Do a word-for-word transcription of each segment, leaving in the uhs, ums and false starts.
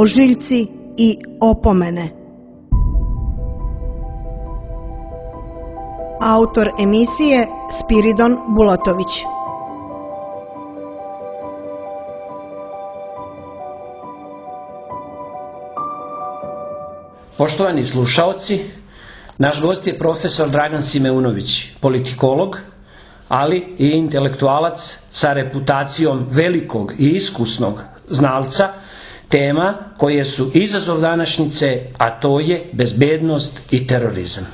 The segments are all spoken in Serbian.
ožiljci i opomene. Autor emisije Spiridon Bulatović. Poštovani slušaoci, naš gost je profesor Dragan Simeunović, politikolog, ali i intelektualac sa reputacijom velikog i iskusnog znalca tema koje su izazov današnjice, a to je bezbednost i terorizam.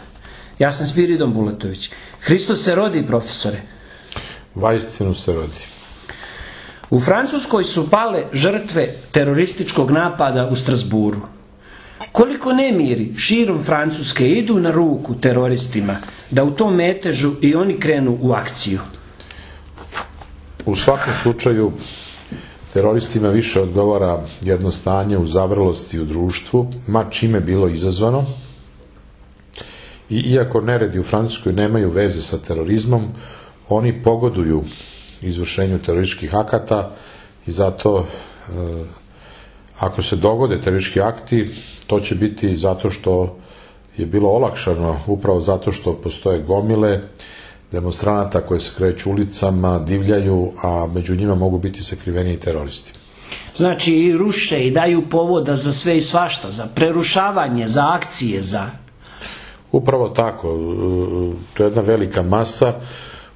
Ja sam Spiridon Bulatović. Hristos se rodi, profesore. Vaistinu se rodi. U Francuskoj su pale žrtve terorističkog napada u Strasburu. Koliko nemiri širom Francuske idu na ruku teroristima da u tom metežu i oni krenu u akciju? U svakom slučaju teroristima više odgovara jedno stanje u zavrlosti u društvu, ma čime bilo izazvano. I iako neredi u Francuskoj nemaju veze sa terorizmom, oni pogoduju izvršenju terorističkih akata i zato e, ako se dogode teroristički akti, to će biti zato što je bilo olakšano, upravo zato što postoje gomile demonstranata koje se kreću ulicama, divljaju, a među njima mogu biti sakriveni i teroristi. Znači i ruše i daju povoda za sve i svašta, za prerušavanje, za akcije, za... Upravo tako. To je jedna velika masa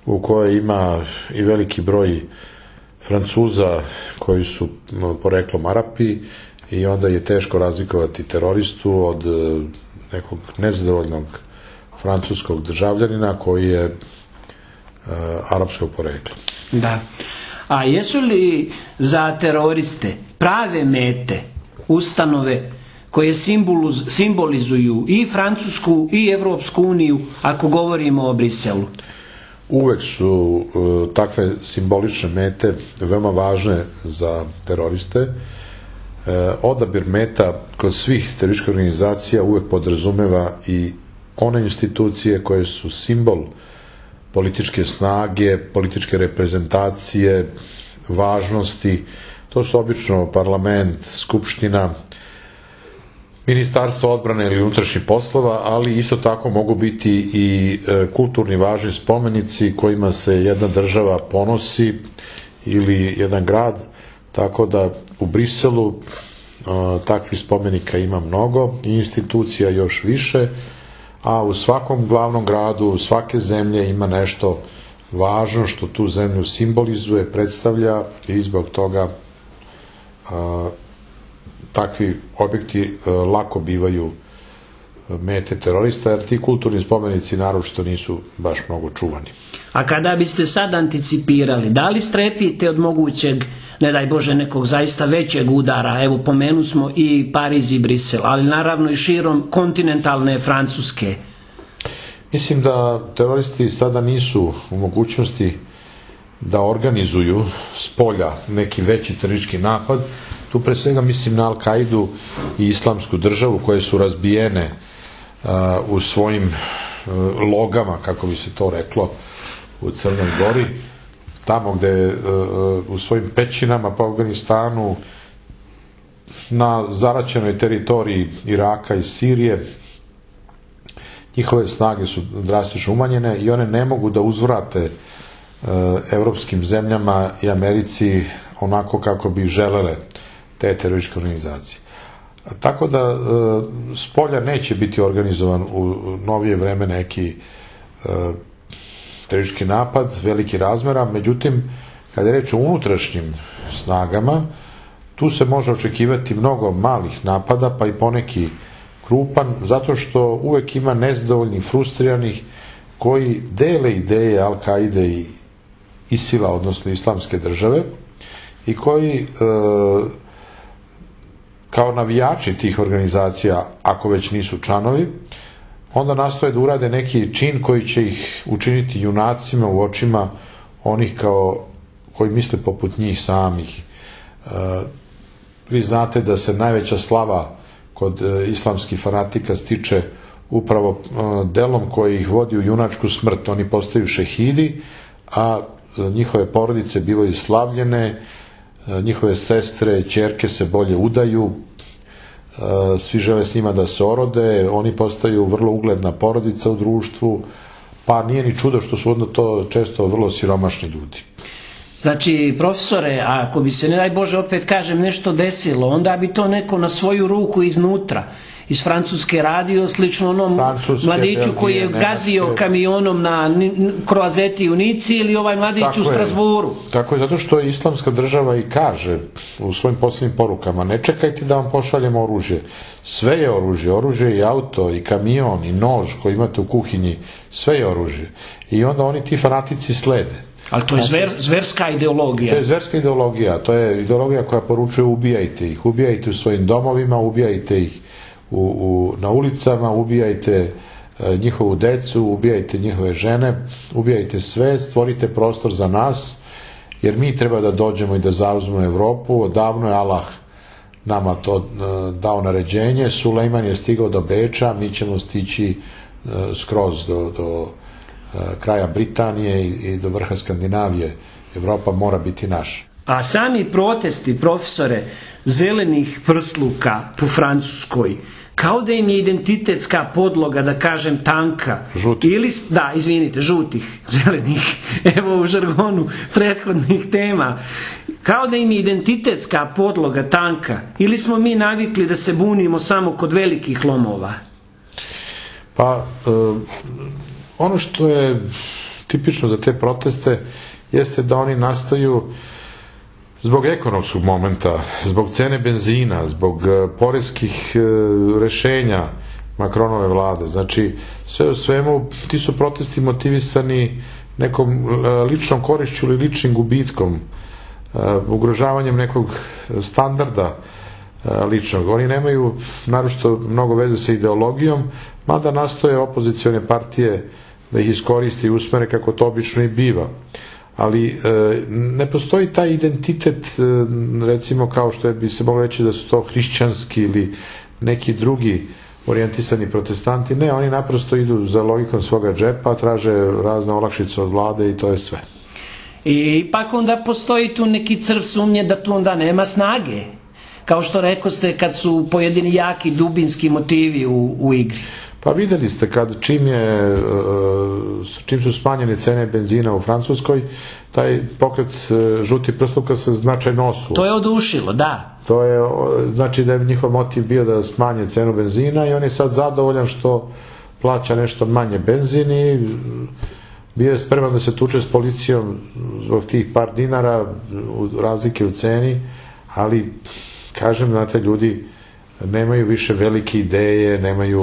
u kojoj ima i veliki broj Francuza koji su poreklom Arapi i onda je teško razlikovati teroristu od nekog nezadovoljnog francuskog državljanina koji je uh, arapskog porekla. Da. A jesu li za teroriste prave mete ustanove koje simbolizuju i Francusku i Evropsku uniju, ako govorimo o Briselu? Uvek su uh, takve simbolične mete veoma važne za teroriste. Uh, odabir meta kod svih terorističkih organizacija uvek podrazumeva i one institucije koje su simbol političke snage, političke reprezentacije, važnosti. To su obično parlament, skupština, Ministarstvo odbrane ili unutrašnjih poslova, ali isto tako mogu biti i kulturni važni spomenici kojima se jedna država ponosi ili jedan grad, tako da u Briselu takvih spomenika ima mnogo i institucija još više, a u svakom glavnom gradu svake zemlje ima nešto važno što tu zemlju simbolizuje, predstavlja i zbog toga a, takvi objekti a, lako bivaju mete terorista, jer ti kulturni spomenici naročito nisu baš mnogo čuvani. A kada biste sad anticipirali, da li strepite od mogućeg, ne daj Bože, nekog zaista većeg udara? Evo, pomenu smo i Pariz i Brisel, ali naravno i širom kontinentalne Francuske. Mislim da teroristi sada nisu u mogućnosti da organizuju s polja neki veći teroristički napad. Tu pre svega mislim na Al-Kaidu i Islamsku državu koje su razbijene uh, u svojim uh, logama, kako bi se to reklo, u Crnoj Gori, tamo gde uh, u svojim pećinama po Afganistanu, na zaraćenoj teritoriji Iraka i Sirije, njihove snage su drastično umanjene i one ne mogu da uzvrate uh, evropskim zemljama i Americi onako kako bi želele te terorističke organizacije. Tako da e, s polja neće biti organizovan u novije vreme neki e, teroristički napad, veliki razmera, međutim, kada je reč o unutrašnjim snagama, tu se može očekivati mnogo malih napada, pa i poneki krupan, zato što uvek ima nezadovoljnih, frustriranih, koji dele ideje Al-Kaide i Isila, odnosno Islamske države, i koji e, kao navijači tih organizacija, ako već nisu članovi, onda nastoje da urade neki čin koji će ih učiniti junacima u očima onih kao, koji misle poput njih samih. E, vi znate da se najveća slava kod e, islamskih fanatika stiče upravo e, delom koji ih vodi u junačku smrt. Oni postaju šehidi, a e, njihove porodice bivaju slavljene, njihove sestre, ćerke se bolje udaju svi žele s njima da se orode, oni postaju vrlo ugledna porodica u društvu, pa nije ni čudo što su onda to često vrlo siromašni ljudi. Znači, profesore, ako bi se, ne daj Bože, opet kažem, nešto desilo, onda bi to neko na svoju ruku iznutra, iz Francuske radio, slično onom Francuske, mladiću Belgije, koji je gazio Nemačke kamionom na Kroazeti u Nici, ili ovaj mladić tako u Strasburu. Je, tako je, zato što je islamska država i kaže u svojim posljednjim porukama: ne čekajte da vam pošaljemo oružje. Sve je oružje, oružje i auto, i kamion, i nož koji imate u kuhinji, sve je oružje. I onda oni ti fanatici slede. Ali to je zver, zverska ideologija. To je zverska ideologija, to je ideologija koja poručuje: ubijajte ih, ubijajte u svojim domovima, ubijajte ih u, u, na ulicama, ubijajte e, njihovu decu, ubijajte njihove žene, ubijajte sve, stvorite prostor za nas, jer mi treba da dođemo i da zauzmemo Evropu. Odavno je Allah nama to e, dao naređenje, Sulejman je stigao do Beča, mi ćemo stići e, skroz do, do kraja Britanije i do vrha Skandinavije. Evropa mora biti naša. A sami protesti, profesore, zelenih prsluka po Francuskoj, kao da im je identitetska podloga, da kažem, tanka. Žutih. Ili, da, izvinite, žutih, zelenih, evo u žargonu prethodnih tema. Kao da im je identitetska podloga tanka. Ili smo mi navikli da se bunimo samo kod velikih lomova? Pa, e, ono što je tipično za te proteste jeste da oni nastaju zbog ekonomskog momenta, zbog cene benzina, zbog poreskih rešenja Macronove vlade. Znači, sve u svemu, ti su protesti motivisani nekom ličnom korišću ili ličnim gubitkom, ugrožavanjem nekog standarda ličnog. Oni nemaju naročito mnogo veze sa ideologijom, mada nastoje opozicione partije da ih iskoristi i usmere, kako to obično i biva. Ali e, ne postoji taj identitet, e, recimo kao što je, bi se moglo reći da su to hrišćanski ili neki drugi orijentisani protestanti. Ne, oni naprosto idu za logikom svoga džepa, traže razne olakšice od vlade i to je sve. I ipak onda postoji tu neki crv sumnje da tu onda nema snage. Kao što rekoste, kad su pojedini jaki dubinski motivi u, u igri. Pa videli ste kad čim je čim su smanjene cene benzina u Francuskoj, taj pokret žuti prsluka se značajno osuo. To je odušilo, da. To je, znači da je njihov motiv bio da smanje cenu benzina i on je sad zadovoljan što plaća nešto manje benzin i bio je spreman da se tuče s policijom zbog tih par dinara razlike u ceni, ali kažem, znate, ljudi nemaju više velike ideje, nemaju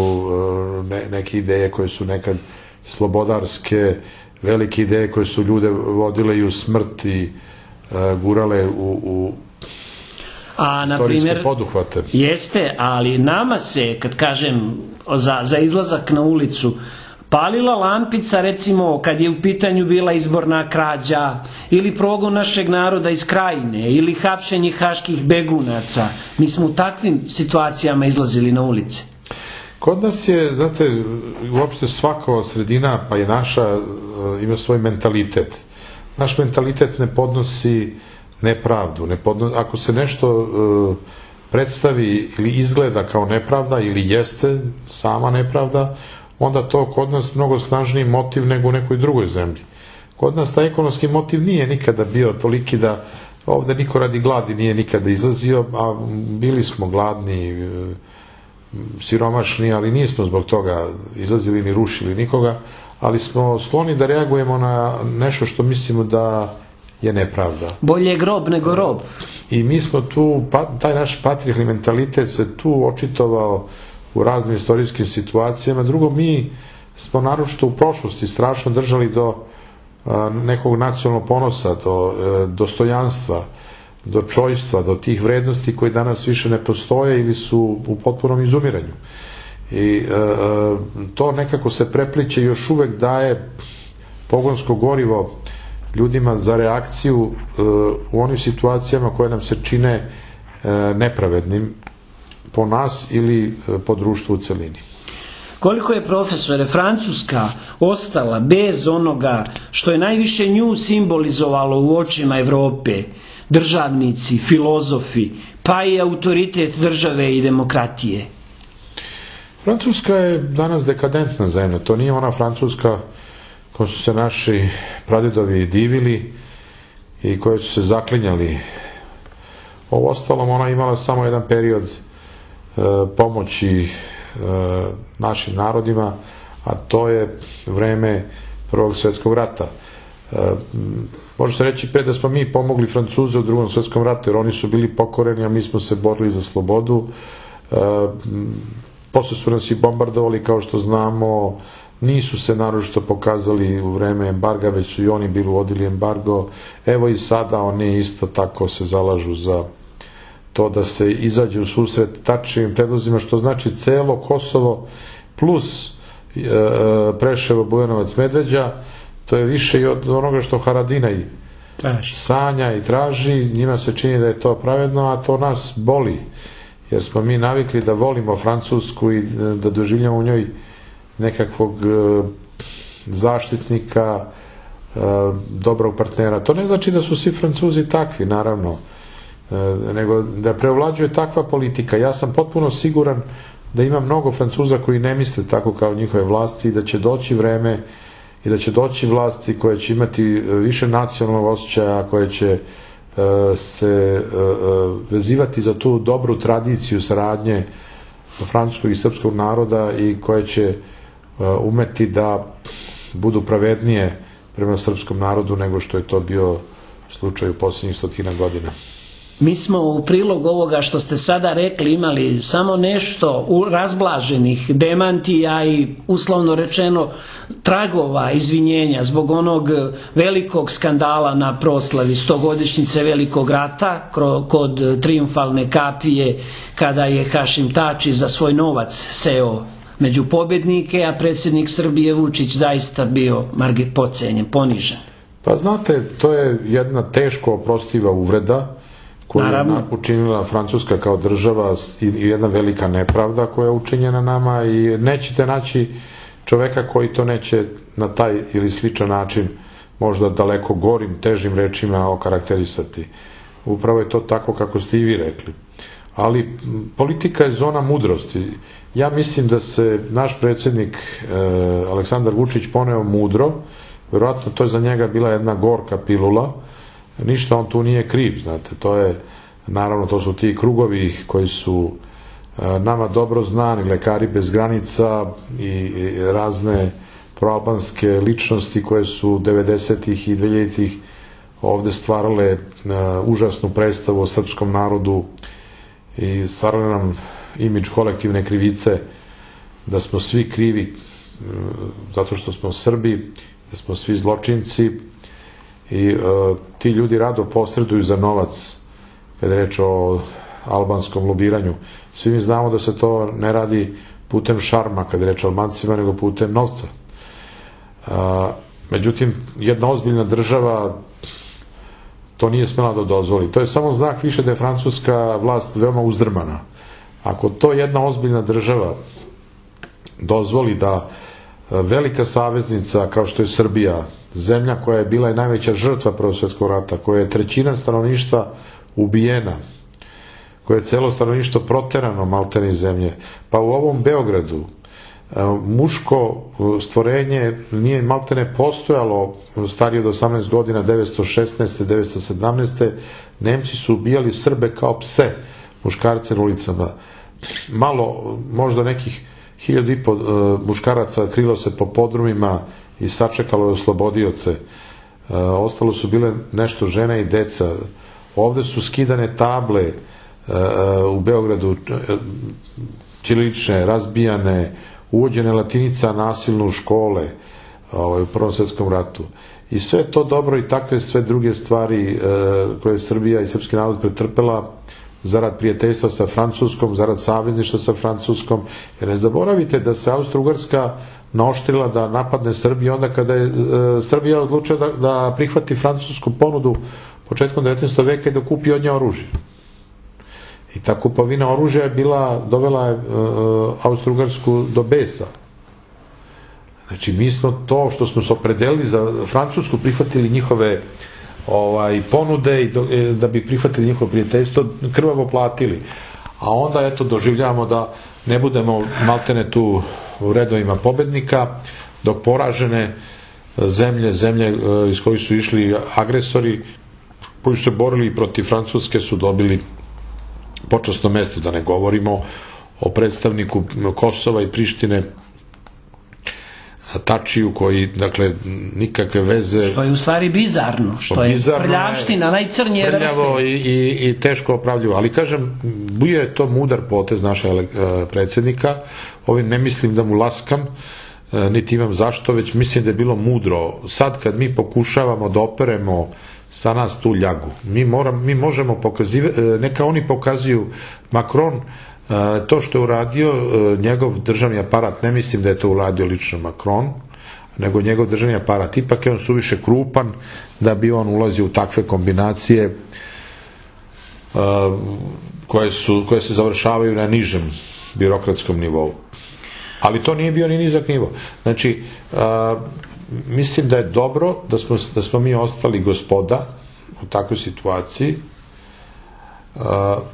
ne, neke ideje koje su nekad slobodarske, velike ideje koje su ljude vodile i u smrt i uh, gurale u, u A, na primjer, poduhvate. Jeste, ali nama se, kad kažem za, za izlazak na ulicu, palila lampica, recimo, kad je u pitanju bila izborna krađa, ili progon našeg naroda iz Krajine, ili hapšenje haških begunaca. Mi smo u takvim situacijama izlazili na ulice. Kod nas je, znate, uopšte svaka sredina, pa i naša, ima svoj mentalitet. Naš mentalitet ne podnosi nepravdu. Ne podnosi, ako se nešto uh, predstavi ili izgleda kao nepravda, ili jeste sama nepravda, onda to kod nas mnogo snažniji motiv nego u nekoj drugoj zemlji. Kod nas taj ekonomski motiv nije nikada bio toliki da ovde niko radi gladi nije nikada izlazio, a bili smo gladni, siromašni, ali nismo zbog toga izlazili ni rušili nikoga, ali smo skloni da reagujemo na nešto što mislimo da je nepravda. Bolje grob nego rob. I mi smo tu, taj naš patrijarhalni mentalitet se tu očitovao u raznim istorijskim situacijama. Drugo, mi smo naročito u prošlosti strašno držali do a, nekog nacionalnog ponosa, do a, dostojanstva, do čojstva, do tih vrednosti koje danas više ne postoje ili su u potpunom izumiranju. I a, to nekako se prepliče i još uvek daje pogonsko gorivo ljudima za reakciju a, u onim situacijama koje nam se čine a, nepravednim po nas ili po društvu u celini. Koliko je, profesore, Francuska ostala bez onoga što je najviše nju simbolizovalo u očima Evrope, državnici, filozofi, pa i autoritet države i demokratije. Francuska je danas dekadentna zemlja. To nije ona Francuska koja su se naši pradedovi divili i koje su se zaklinjali. Ovo ostalom, ona imala samo jedan period e, pomoći e, našim narodima, a to je vreme Prvog svjetskog rata. E, može se reći pre da smo mi pomogli Francuze u Drugom svjetskom ratu, jer oni su bili pokoreni, a mi smo se borili za slobodu. E, posle su nas i bombardovali, kao što znamo, nisu se naročito pokazali u vreme embarga, već su i oni bili uvodili embargo. Evo i sada oni isto tako se zalažu za to da se izađe u susret tačnim predlozima, što znači celo Kosovo plus e, Preševo, Bujanovac, Medveđa. To je više i od onoga što Haradinaj sanja i traži. Njima se čini da je to pravedno, a to nas boli, jer smo mi navikli da volimo Francusku i da doživljamo u njoj nekakvog zaštitnika, dobrog partnera. To ne znači da su svi Francuzi takvi, naravno, nego da preovlađuje takva politika. Ja sam potpuno siguran da ima mnogo Francuza koji ne misle tako kao njihove vlasti i da će doći vreme i da će doći vlasti koje će imati više nacionalnog osjećaja, koje će se vezivati za tu dobru tradiciju saradnje francuskog i srpskog naroda i koje će umeti da budu pravednije prema srpskom narodu nego što je to bio slučaj u posljednjih stotina godina. Mi smo u prilog ovoga što ste sada rekli imali samo nešto razblaženih demantija i uslovno rečeno tragova izvinjenja zbog onog velikog skandala na proslavi stogodišnjice Velikog rata kod Trijumfalne kapije, kada je Hašim Tači za svoj novac seo među pobednike, a predsjednik Srbije Vučić zaista bio pocenjen, ponižen. Pa znate, to je jedna teško oprostiva uvreda koju je učinila Francuska kao država i jedna velika nepravda koja je učinjena nama i nećete naći čoveka koji to neće na taj ili sličan način možda daleko gorim, težim rečima okarakterisati. Upravo je to tako kako ste i vi rekli. Ali politika je zona mudrosti. Ja mislim da se naš predsjednik e, Aleksandar Vučić poneo mudro, vjerojatno to je za njega bila jedna gorka pilula, ništa on tu nije kriv, znate, to je, naravno, to su ti krugovi koji su e, nama dobro znani, Lekari bez granica i, i razne proalbanske ličnosti koje su devedesetih i dvehiljaditih ovde stvarale e, užasnu predstavu o srpskom narodu i stvarale nam imidž kolektivne krivice, da smo svi krivi zato što smo Srbi, da smo svi zločinci i e, ti ljudi rado posreduju za novac kada je reč o albanskom lobiranju. Svi mi znamo da se to ne radi putem šarma kada je reč o Albancima, nego putem novca. E, međutim, jedna ozbiljna država to nije smela da dozvoli. To je samo znak više da je francuska vlast veoma uzdrmana. Ako to jedna ozbiljna država dozvoli da velika saveznica kao što je Srbija, zemlja koja je bila i najveća žrtva Prvog svjetskog rata, koja je trećina stanovništva ubijena, koje je celo stanovništvo proterano maltene iz zemlje, pa u ovom Beogradu muško stvorenje nije maltene postojalo starije od osamnaest godina, devetsto šesnaeste. devetsto sedamnaeste. Nemci su ubijali Srbe kao pse, muškarce na ulicama. Malo, možda nekih hiljadu i po muškaraca krilo se po podrumima i sačekalo je oslobodioce. Ostalo su bile nešto žene i deca. Ovde su skidane table u Beogradu, ćirilične, razbijane, uvođene latinica nasilno u škole u Prvom svjetskom ratu. I sve to dobro i takve sve druge stvari koje je Srbija i srpski narod pretrpela zarad prijateljstva sa Francuskom, zarad savezništva sa Francuskom. Jer ne zaboravite da se Austro-Ugarska naoštrila da napadne Srbiju onda kada je Srbija odlučila da, da prihvati francusku ponudu početkom devetnaestog veka i da kupi od nje oružje. I ta kupovina oružja je bila, dovela je Austro-Ugarsku do besa. Znači, mi smo to što smo se opredelili za Francusku prihvatili njihove ovaj, ponude i do, da bi prihvatili njihovo prijateljstvo, krvavo platili. A onda eto doživljavamo da ne budemo maltene tu u redovima pobednika, dok poražene zemlje, zemlje iz kojih su išli agresori, koji su se borili protiv Francuske, su dobili počasno mesto, da ne govorimo o predstavniku Kosova i Prištine, Tačiju, koji, dakle, nikakve veze... Što je u stvari bizarno, što je prljavština, najcrnije vrste. Prljavo i, i, i teško opravljivo. Ali, kažem, bio je to mudar potez naša predsjednika. Ovim ne mislim da mu laskam, niti imam zašto, već mislim da je bilo mudro. Sad kad mi pokušavamo da operemo sa nas tu ljagu, mi, moram, mi možemo pokazivati, neka oni pokazuju Macron, to što je uradio njegov državni aparat, ne mislim da je to uradio lično Macron, nego njegov državni aparat, ipak je on suviše krupan da bi on ulazio u takve kombinacije koje, su, koje se završavaju na nižem birokratskom nivou. Ali to nije bio ni nizak nivo. Znači, mislim da je dobro da smo, da smo mi ostali gospoda u takvoj situaciji,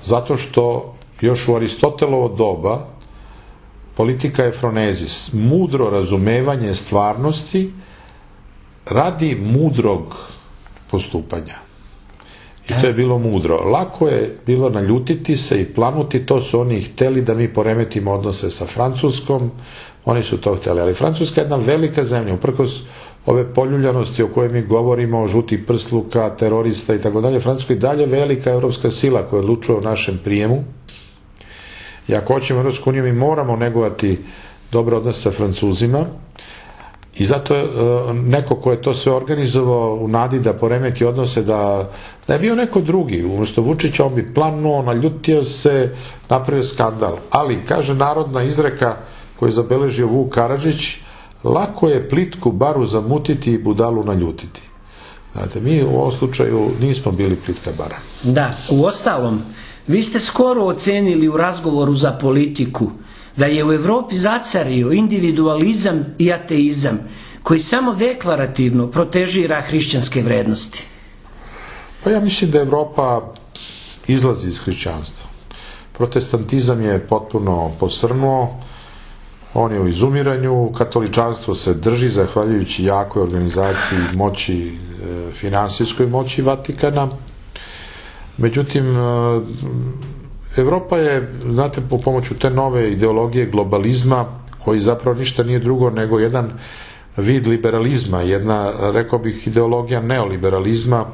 zato što još u Aristotelovo doba politika je fronezis, mudro razumevanje stvarnosti radi mudrog postupanja. I to je bilo mudro. Lako je bilo naljutiti se i planuti, to su oni hteli da mi poremetimo odnose sa Francuskom, oni su to hteli. Ali Francuska je jedna velika zemlja, uprkos ove poljuljanosti o kojoj mi govorimo, žutih prsluka, terorista i tako dalje, Francuska je dalje velika evropska sila koja odlučuje o našem prijemu. I ako hoćemo Evropsku uniju, mi moramo negovati dobre odnose sa Francuzima. I zato je neko ko je to sve organizovao u nadi da poremeti odnose, da, da je bio neko drugi. Umesto Vučića on bi planuo, naljutio se, napravio skandal. Ali, kaže narodna izreka koju je zabeležio Vuk Karadžić, lako je plitku baru zamutiti i budalu naljutiti. Znate, mi u ovom slučaju nismo bili plitka bara. Da, u ostalom, vi ste skoro ocenili u razgovoru za politiku da je u Evropi zacario individualizam i ateizam koji samo deklarativno protežira hrišćanske vrednosti. Pa ja mislim da Evropa izlazi iz hrišćanstva. Protestantizam je potpuno posrnuo, on je u izumiranju, katoličanstvo se drži zahvaljujući jakoj organizaciji moći, finansijskoj moći Vatikana. Međutim, Evropa je, znate, po pomoću te nove ideologije globalizma, koji zapravo ništa nije drugo nego jedan vid liberalizma, jedna, rekao bih, ideologija neoliberalizma,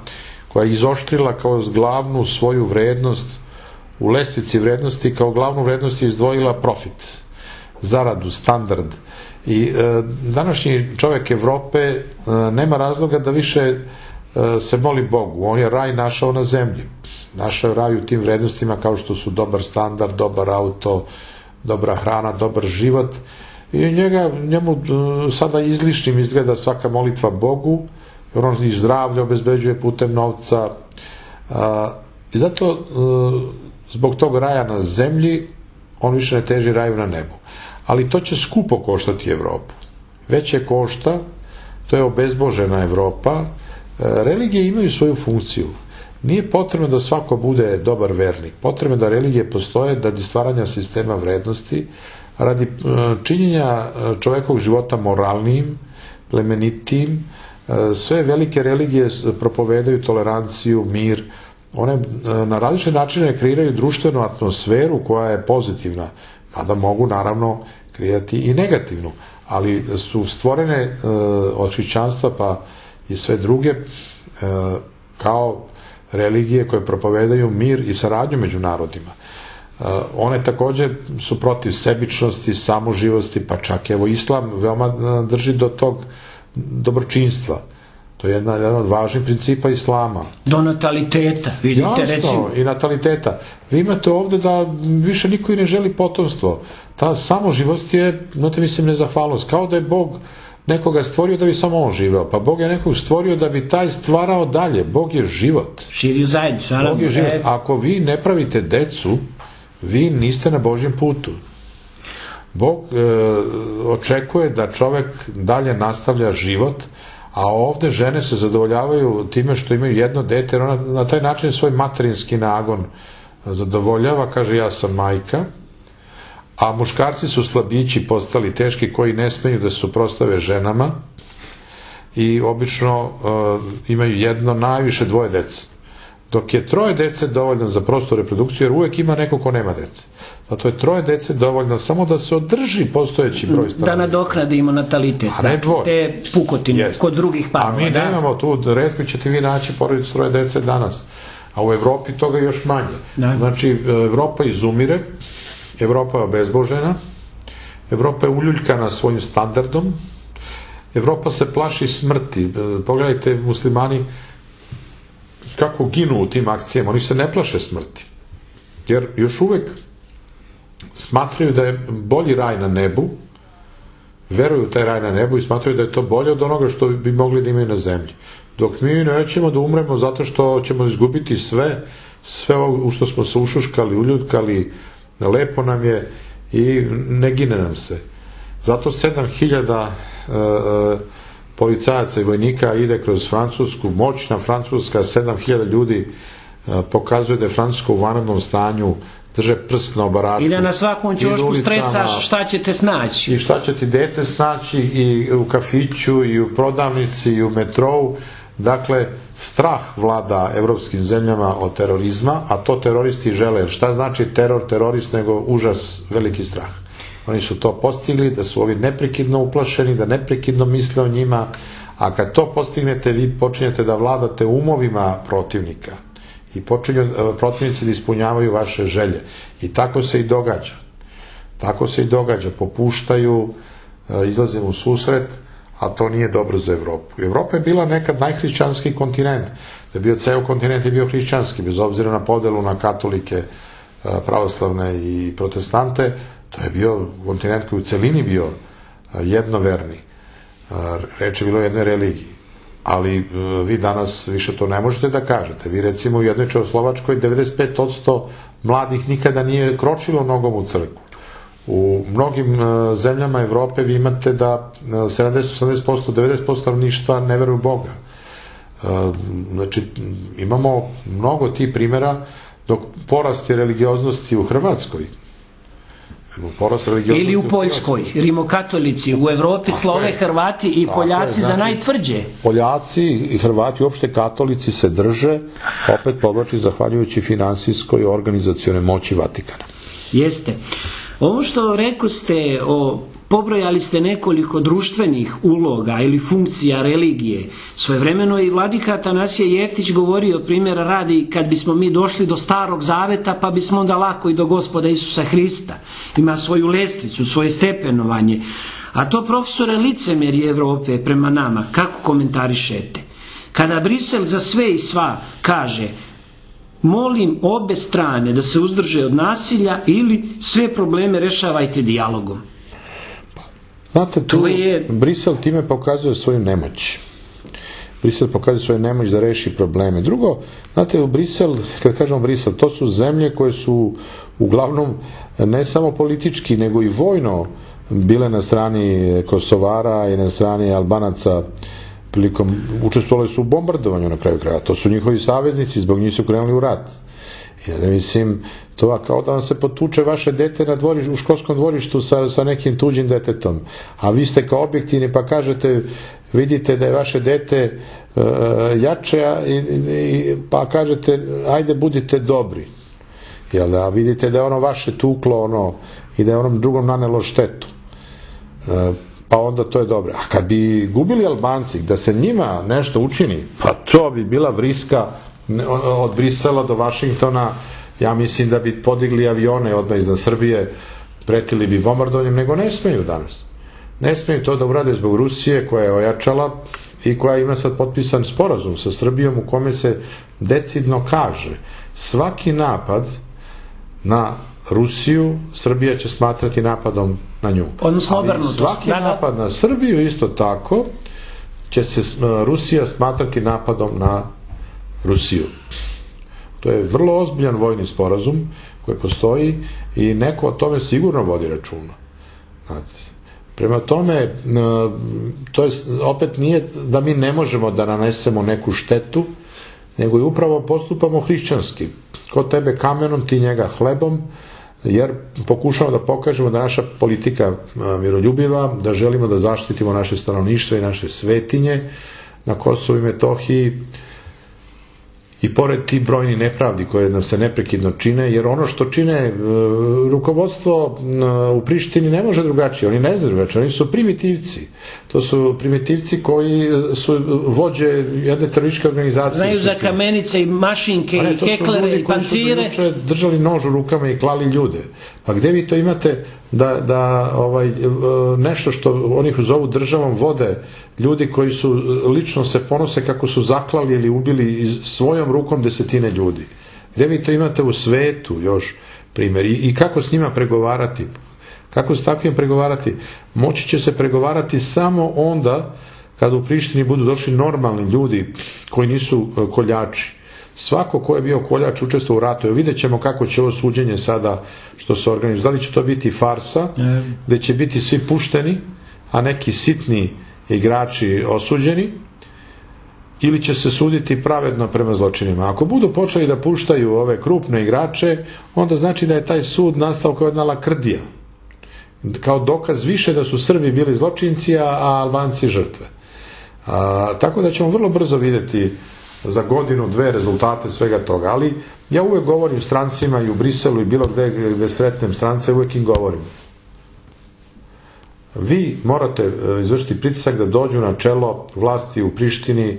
koja je izoštrila kao glavnu svoju vrednost u lestvici vrednosti, kao glavnu vrednost je izdvojila profit, zaradu, standard. I e, današnji čovjek Evrope e, nema razloga da više e, se moli Bogu. On je raj našao na zemlji. Našao je raj u tim vrednostima kao što su dobar standard, dobar auto, dobra hrana, dobar život. I njega, njemu sada izlišnim izgleda svaka molitva Bogu, jer on i zdravlje obezbeđuje putem novca. A, I zato a, zbog tog raja na zemlji on više ne teži raju na nebu. Ali to će skupo koštati Evropu. Već je košta, to je obezbožena Evropa. Religije imaju svoju funkciju. Nije potrebno da svako bude dobar vernik. Potrebno je da religije postoje radi stvaranja sistema vrednosti, radi činjenja čovjekovog života moralnijim, plemenitijim. Sve velike religije propovedaju toleranciju, mir. One na različite načine kreiraju društvenu atmosferu koja je pozitivna, mada mogu naravno kreirati i negativnu, ali su stvorene od hrišćanstva pa i sve druge kao religije koje propovedaju mir i saradnju među narodima. One također su protiv sebičnosti, samoživosti, pa čak evo islam veoma drži do tog dobročinstva. To je jedna, jedan od važnih principa islama. Do nataliteta, vidite. Jasno, recimo. I nataliteta. Vi imate ovde da više niko i ne želi potomstvo. Ta samoživost je, znate, mislim, nezahvalnost. Kao da je Bog nekoga stvorio da bi samo on živeo. Pa Bog je nekog stvorio da bi taj stvarao dalje. Bog je život. Živi u zajednicu. Bog je život. Ako vi ne pravite decu, vi niste na Božjem putu. Bog e, očekuje da čovek dalje nastavlja život, A ovde žene se zadovoljavaju time što imaju jedno dete, jer ona na taj način svoj materinski nagon zadovoljava, kaže ja sam majka, a muškarci su slabići postali teški koji ne smeju da se suprotstave ženama i obično uh, imaju jedno, najviše dvoje dece. Dok je troje dece dovoljno za prostu reprodukciju, jer uvek ima neko ko nema dece. Zato je troje dece dovoljno samo da se održi postojeći broj stanovnika. Da nadoknadimo natalitet. A ne dvoje. Te pukotine yes. Kod drugih parova. A mi da? Nemamo tu, retko ćete vi naći porodicu troje dece danas. A u Evropi toga još manje. Da. Znači, Evropa izumire, Evropa je obezbožena, Evropa je uljuljkana svojim standardom, Evropa se plaši smrti. Pogledajte, muslimani kako ginu u tim akcijama, oni se ne plaše smrti. Jer još uvek smatraju da je bolji raj na nebu, veruju u taj raj na nebu i smatraju da je to bolje od onoga što bi mogli da imaju na zemlji. Dok mi nećemo da umremo zato što ćemo izgubiti sve, sve ovo u što smo se ušuškali, uljutkali, lepo nam je i ne gine nam se. Zato sedam hiljada e, policajaca i vojnika ide kroz Francusku, moćna Francuska, sedam hiljada ljudi e, pokazuje da je Francuska u vanrednom stanju, drže prst na obaraču. I da na svakom ćošku strecaš šta ćete snaći. I šta će ti dete snaći i u kafiću, i u prodavnici, i u metrou. Dakle, strah vlada evropskim zemljama od terorizma, a to teroristi žele. Šta znači teror, terorist, nego užas, veliki strah. Oni su to postigli, da su ovi neprekidno uplašeni, da neprekidno misle o njima, a kad to postignete, vi počinjete da vladate umovima protivnika i počinju protivnici da ispunjavaju vaše želje. I tako se i događa. Tako se i događa. Popuštaju, izlaze u susret, a to nije dobro za Evropu. Evropa je bila nekad najhrišćanski kontinent. Da je bio ceo kontinent je bio hrišćanski, bez obzira na podelu na katolike, pravoslavne i protestante. To je bio kontinent koji u celini bio jednoverni. Reč je bilo o jednoj religiji. Ali vi danas više to ne možete da kažete. Vi recimo u jednoj Čehoslovačkoj devedeset pet posto mladih nikada nije kročilo nogom u crkvu. U mnogim zemljama Evrope vi imate da sedamdeset do osamdeset posto, devedeset posto stanovništva ne veruju u Boga. Znači, imamo mnogo tih primjera, dok porast je religioznosti u Hrvatskoj, ili u Poljskoj, rimokatolici, u Evropi slove Hrvati i Poljaci za najtvrđe. Poljaci i Hrvati, uopšte katolici se drže, opet povlači zahvaljujući finansijskoj i organizacione moći Vatikana. Jeste. Ovo što rekao ste, o, pobrojali ste nekoliko društvenih uloga ili funkcija religije. Svojevremeno i vladika Atanasije Jeftić govorio, primjera radi, kad bismo mi došli do Starog Zaveta, pa bismo onda lako i do Gospoda Isusa Hrista. Ima svoju lestvicu, svoje stepenovanje. A to, profesore, licemerje Evrope prema nama, kako komentarišete? Kada Brisel za sve i sva kaže: molim obe strane da se uzdrže od nasilja ili sve probleme rešavajte dijalogom. Znate, tu je... Brisel time pokazuje svoju nemoć. Brisel pokazuje svoju nemoć da reši probleme. Drugo, znate, u Brisel, kad kažemo Brisel, to su zemlje koje su uglavnom ne samo politički, nego i vojno bile na strani Kosovara i na strani Albanaca, prilikom učestvovali su u bombardovanju na kraju kraja. To su njihovi saveznici, zbog njih su krenuli u rat. Ja da mislim, to kao da vam se potuče vaše dete na dvoriš, u školskom dvorištu sa, sa nekim tuđim detetom. A vi ste kao objektivni pa kažete, vidite da je vaše dete uh, jače, i, i, pa kažete, ajde budite dobri. Jel da, vidite da je ono vaše tuklo ono, i da je onom drugom nanelo štetu. Uh, pa onda to je dobro. A kad bi gubili Albanci, da se njima nešto učini, pa to bi bila vriska od Brisela do Vašingtona. Ja mislim da bi podigli avione odmah iznad Srbije, pretili bi bombardovanjem, nego ne smeju danas. Ne smeju to da urade zbog Rusije, koja je ojačala i koja ima sad potpisan sporazum sa Srbijom u kome se decidno kaže: svaki napad na Rusiju Srbija će smatrati napadom na nju. Odnosno obrnuto. Svaki napad na Srbiju isto tako će se Rusija smatrati napadom na Rusiju. To je vrlo ozbiljan vojni sporazum koji postoji i neko o tome sigurno vodi računa. Znate, Prema tome, to je, opet nije da mi ne možemo da nanesemo neku štetu, nego i upravo postupamo hrišćanski. Ko tebe kamenom, ti njega hlebom, jer pokušamo da pokažemo da naša politika miroljubiva, da želimo da zaštitimo naše stanovništvo i naše svetinje na Kosovu i Metohiji, i pored ti brojni nepravdi koje nam se neprekidno čine, jer ono što čine rukovodstvo u Prištini ne može drugačije, oni ne znaju drugačije, oni su primitivci. To su primitivci koji su vođe jedne terorističke organizacije. Znaju za kamenice i mašinke i heklere i pancire. To su ljudi koji su juče držali nož u rukama i klali ljude. Pa gde vi to imate da, da ovaj, nešto što oni zovu državom vode ljudi koji su lično se ponose kako su zaklali ili ubili svojom rukom desetine ljudi. Gde vi to imate u svetu još primjer i, i kako s njima pregovarati? Kako s takvim pregovarati? Moći će se pregovarati samo onda kada u Prištini budu došli normalni ljudi koji nisu koljači. Svako ko je bio koljač učestvovao u ratu. Evo vidjet ćemo kako će ovo suđenje sada što se organizuje. Da li će to biti farsa, gde će biti svi pušteni, a neki sitni igrači osuđeni, ili će se suditi pravedno prema zločinima. Ako budu počeli da puštaju ove krupne igrače, onda znači da je taj sud nastao kao jedna lakrdija. Kao dokaz više da su Srbi bili zločinci, a Albanci žrtve. A, tako da ćemo vrlo brzo vidjeti za godinu, dve rezultate svega toga. Ali ja uvek govorim strancima i u Briselu i bilo gde gde sretnem strance, uvek im govorim. Vi morate izvršiti pritisak da dođu na čelo vlasti u Prištini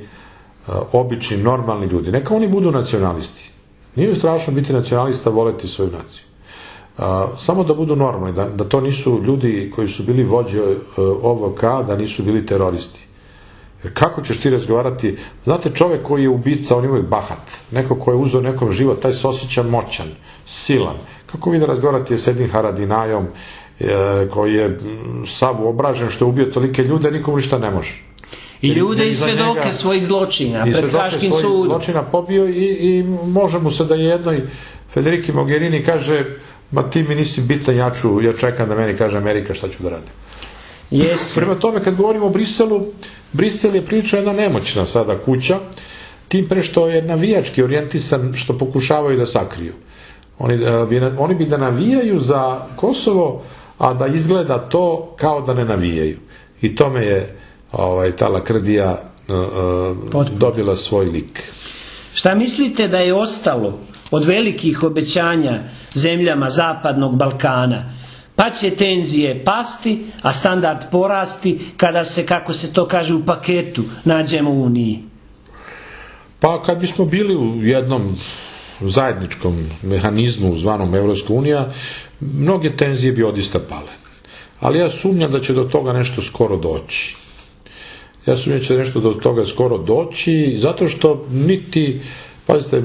obični, normalni ljudi. Neka oni budu nacionalisti. Nije strašno biti nacionalista, voleti svoju naciju. Samo da budu normalni, da, da to nisu ljudi koji su bili vođe O V K, da nisu bili teroristi. Jer kako ćeš ti razgovarati? Znate, čovek koji je ubica, on je uvijek bahat. Neko koji je uzeo nekom život, taj se osjeća moćan, silan. Kako vi da razgovarate s jednim Haradinajom, koji je sav obražen što je ubio tolike ljude, nikomu ništa ne može. I ljude i svedoke svojih zločina pred Haškim sudom. I svedoke svojih zločina pobio i, i može mu se da jednoj Federiki Mogherini kaže, ma ti mi nisi bitan, ja, ću, ja čekam da meni kaže Amerika šta ću da radim. Jeste. Prema tome, kad govorimo o Briselu, Brisel je priča jedna nemoćna sada kuća, tim pre što je navijački orijentisan, što pokušavaju da sakriju. Oni, oni bi da navijaju za Kosovo, a da izgleda to kao da ne navijaju. I tome je ovaj, ta lakrdija uh, dobila svoj lik. Šta mislite da je ostalo od velikih obećanja zemljama Zapadnog Balkana? Pa će tenzije pasti, a standard porasti kada se, kako se to kaže, u paketu nađemo u Uniji. Pa kad bismo bili u jednom zajedničkom mehanizmu zvanom Evropska unija, mnoge tenzije bi odista pale. Ali ja sumnjam da će do toga nešto skoro doći. Ja sumnjam da će nešto do toga skoro doći, zato što niti, pazite,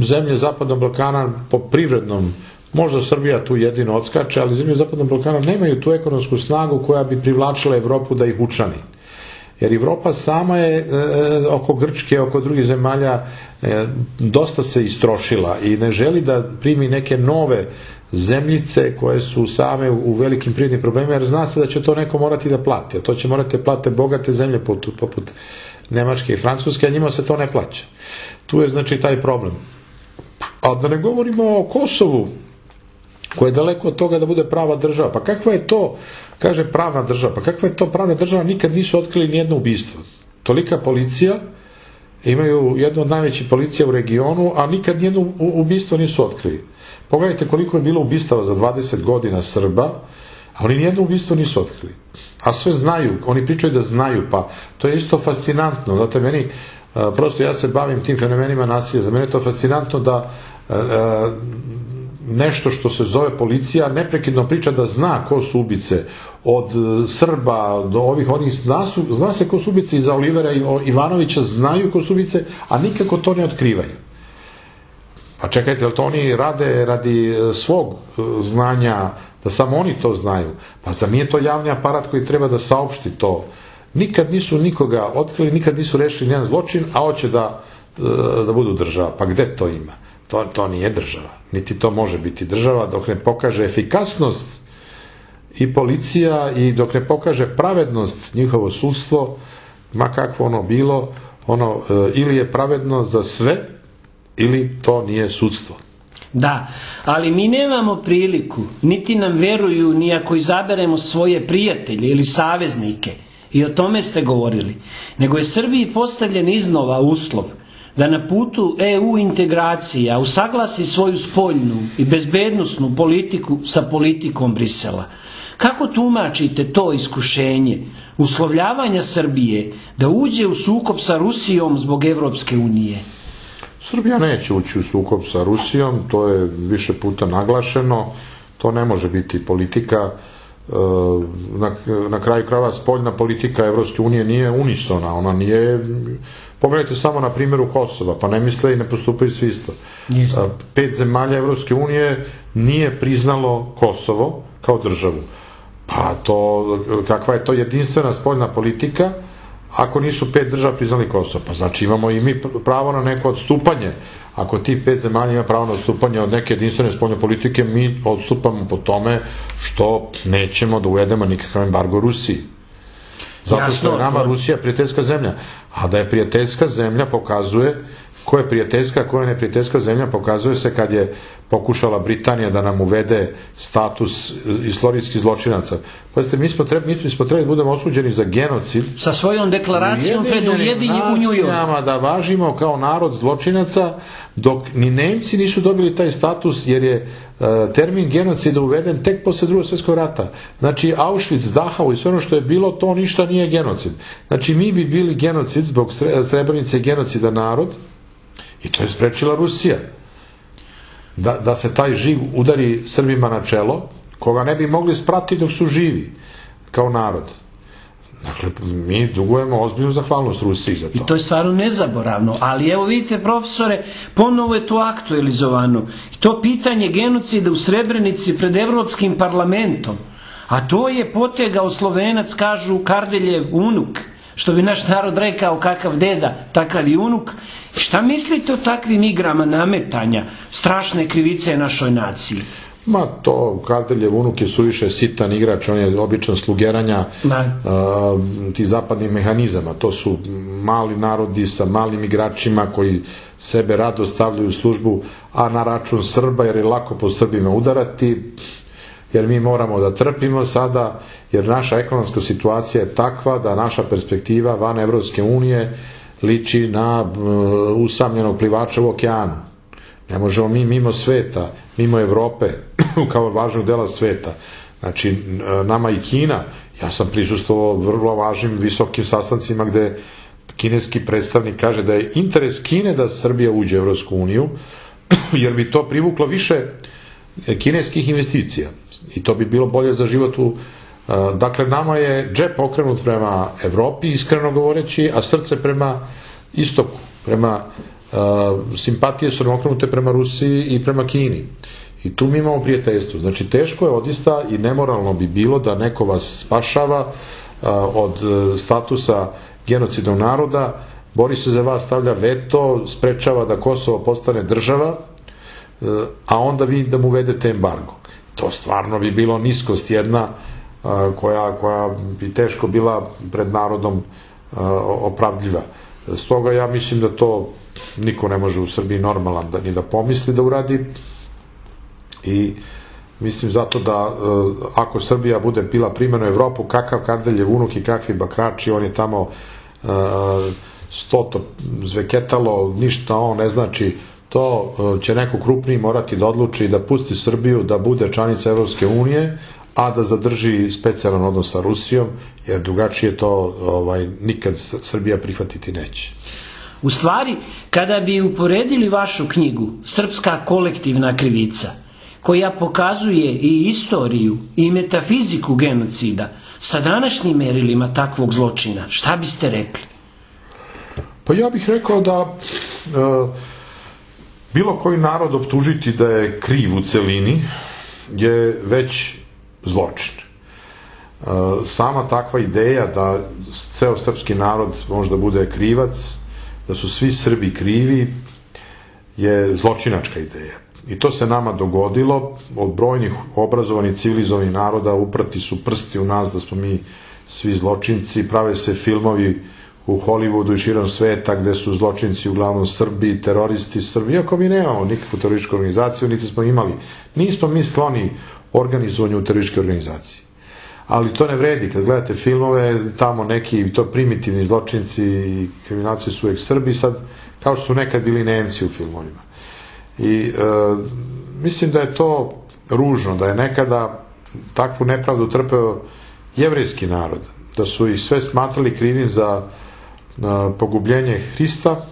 zemlje Zapadnog Balkana po privrednom, možda Srbija tu jedino odskače, ali zemlje Zapadnog Balkana nemaju tu ekonomsku snagu koja bi privlačila Evropu da ih učlani. Jer Evropa sama je e, oko Grčke, oko drugih zemalja e, dosta se istrošila i ne želi da primi neke nove zemljice koje su same u, u velikim privrednim problemima, jer zna se da će to neko morati da plati, a to će morati da plate bogate zemlje poput, poput Nemačke i Francuske, a njima se to ne plaća. Tu je znači taj problem. A da ne govorimo o Kosovu, koja je daleko od toga da bude prava država. Pa kakva je to, kaže pravna država, pa kakva je to pravna država, nikad nisu otkrili nijedno ubistvo. Tolika policija, imaju jednu od najvećih policija u regionu, a nikad nijedno ubistvo nisu otkrili. Pogledajte koliko je bilo ubistava za dvadeset godina Srba, a oni nijedno ubistvo nisu otkrili. A sve znaju, oni pričaju da znaju, pa to je isto fascinantno. Znate, meni, prosto ja se bavim tim fenomenima nasilja, za mene je to fascinantno da nešto što se zove policija neprekidno priča da zna ko su ubice, od Srba do ovih onih, zna, su, zna se ko su ubice, iza Olivera i Ivanovića znaju ko su ubice, a nikako to ne otkrivaju. Pa čekajte, jel to oni rade radi svog znanja, da samo oni to znaju? Pa za mi je to javni aparat koji treba da saopšti to. Nikad nisu nikoga otkrili, nikad nisu rešili nijedan zločin, a hoće da, da budu država. Pa gde to ima? To, to nije država. Niti to može biti država dok ne pokaže efikasnost i policija, i dok ne pokaže pravednost njihovo sudstvo, ma kakvo ono bilo, ono ili je pravedno za sve, ili to nije sudstvo. Da, ali mi nemamo priliku, niti nam veruju ni ako izaberemo svoje prijatelje ili saveznike, i o tome ste govorili, nego je Srbiji postavljen iznova uslov da na putu E U integracija usaglasi svoju spoljnu i bezbednosnu politiku sa politikom Brisela. Kako tumačite to iskušenje uslovljavanja Srbije da uđe u sukob sa Rusijom zbog Evropske unije? Srbija neće ući u sukob sa Rusijom, to je više puta naglašeno, to ne može biti politika. Na, na kraju krajeva spoljna politika Evropske unije nije unisona, ona nije, pogledajte samo na primjeru Kosova, pa ne misle i ne postupaju svi isto. Jeste. Pet zemalja Evropske unije nije priznalo Kosovo kao državu. Pa to, kakva je to jedinstvena spoljna politika ako nisu pet država priznali Kosovo? Pa znači imamo i mi pravo na neko odstupanje. Ako ti pet zemalja ima pravo na odstupanje od neke jedinstvene spoljne politike, mi odstupamo po tome što nećemo da uvedemo nikakav embargo Rusiji. Zato što je nama Rusija prijateljska zemlja. A da je prijateljska zemlja pokazuje, ko je prijateljska, ko je neprijateljska zemlja, pokazuje se kad je pokušala Britanija da nam uvede status istorijskih zločinaca. Pazite, mi smo trebali, mi smo trebali da budemo osuđeni za genocid. Sa svojom deklaracijom pred Ujedinjenim u New Yorku. Da važimo kao narod zločinaca, dok ni Nemci nisu dobili taj status, jer je uh, termin genocida uveden tek posle drugog svjetskog rata. Znači, Auschwitz, Dachau i sve ono što je bilo, to ništa nije genocid. Znači, mi bi bili genocid zbog Srebrenice genocida narod, i to je sprečila Rusija. Da, da se taj živ udari Srbima na čelo, koga ne bi mogli sprati dok su živi, kao narod. Dakle, mi dugujemo ozbiljnu zahvalnost Rusiji za to. I to je stvarno nezaboravno, ali evo vidite, profesore, ponovo je to aktualizovano. To pitanje genocida u Srebrenici pred Evropskim parlamentom, a to je potegao Slovenac, kažu, Kardeljev unuk, što bi naš narod rekao, kakav deda, takav i unuk. Šta mislite o takvim igrama nametanja strašne krivice našoj naciji? Ma to, Kardeljev unuk je suviše sitan igrač, on je običan slugeranja a, ti zapadnih mehanizama. To su mali narodi sa malim igračima koji sebe rado stavljaju u službu, a na račun Srba, jer je lako po Srbima udarati, jer mi moramo da trpimo sada, jer naša ekonomska situacija je takva da naša perspektiva van Evropske unije liči na uh, usamljenog plivača u okeanu. Ne možemo mi mimo sveta, mimo Evrope, kao važnog dela sveta. Znači, nama i Kina, ja sam prisustvovao vrlo važnim visokim sastancima gde kineski predstavnik kaže da je interes Kine da Srbija uđe u Evropsku uniju, jer bi to privuklo više kineskih investicija i to bi bilo bolje za život u... Dakle, nama je džep okrenut prema Evropi, iskreno govoreći, a srce prema istoku, prema uh, simpatije su nam okrenute prema Rusiji i prema Kini. I tu mi imamo prijateljstvo. Znači, teško je odista i nemoralno bi bilo da neko vas spašava uh, od statusa genocidnog naroda, bori se za vas, stavlja veto, sprečava da Kosovo postane država, a onda vi da mu uvedete embargo. To stvarno bi bilo niskost jedna koja, koja bi teško bila pred narodom opravdljiva. Stoga ja mislim da to niko ne može u Srbiji normalan da, ni da pomisli da uradi, i mislim zato da ako Srbija bude bila primjerno Evropu, kakav Kardeljev unuk i kakvi bakrači, on je tamo stoto zveketalo, ništa on ne znači. To će neko krupniji morati da odluči da pusti Srbiju da bude članica Evropske unije, a da zadrži specijalan odnos sa Rusijom, jer drugačije to ovaj, nikad Srbija prihvatiti neće. U stvari, kada bi uporedili vašu knjigu Srpska kolektivna krivica, koja pokazuje i istoriju i metafiziku genocida sa današnjim merilima takvog zločina, šta biste rekli? Pa ja bih rekao da e, bilo koji narod optužiti da je kriv u celini je već zločin. Sama takva ideja da ceo srpski narod može da bude krivac, da su svi Srbi krivi, je zločinačka ideja. I to se nama dogodilo, od brojnih obrazovanih civilizovanih naroda uprati su prsti u nas da smo mi svi zločinci, prave se filmovi u Hollywoodu i širom sveta gde su zločinci uglavnom Srbi, teroristi Srbi, iako mi nemamo nikakvu terorističku organizaciju, niti smo imali, nismo mi skloni organizovanju terorističke organizacije. Ali to ne vredi, kad gledate filmove, tamo neki to primitivni zločinci i kriminalci su uvek Srbi, sad kao što su nekad bili Nemci u filmovima. I e, mislim da je to ružno, da je nekada takvu nepravdu trpeo jevrejski narod, da su ih sve smatrali krivim za a, pogubljenje Hrista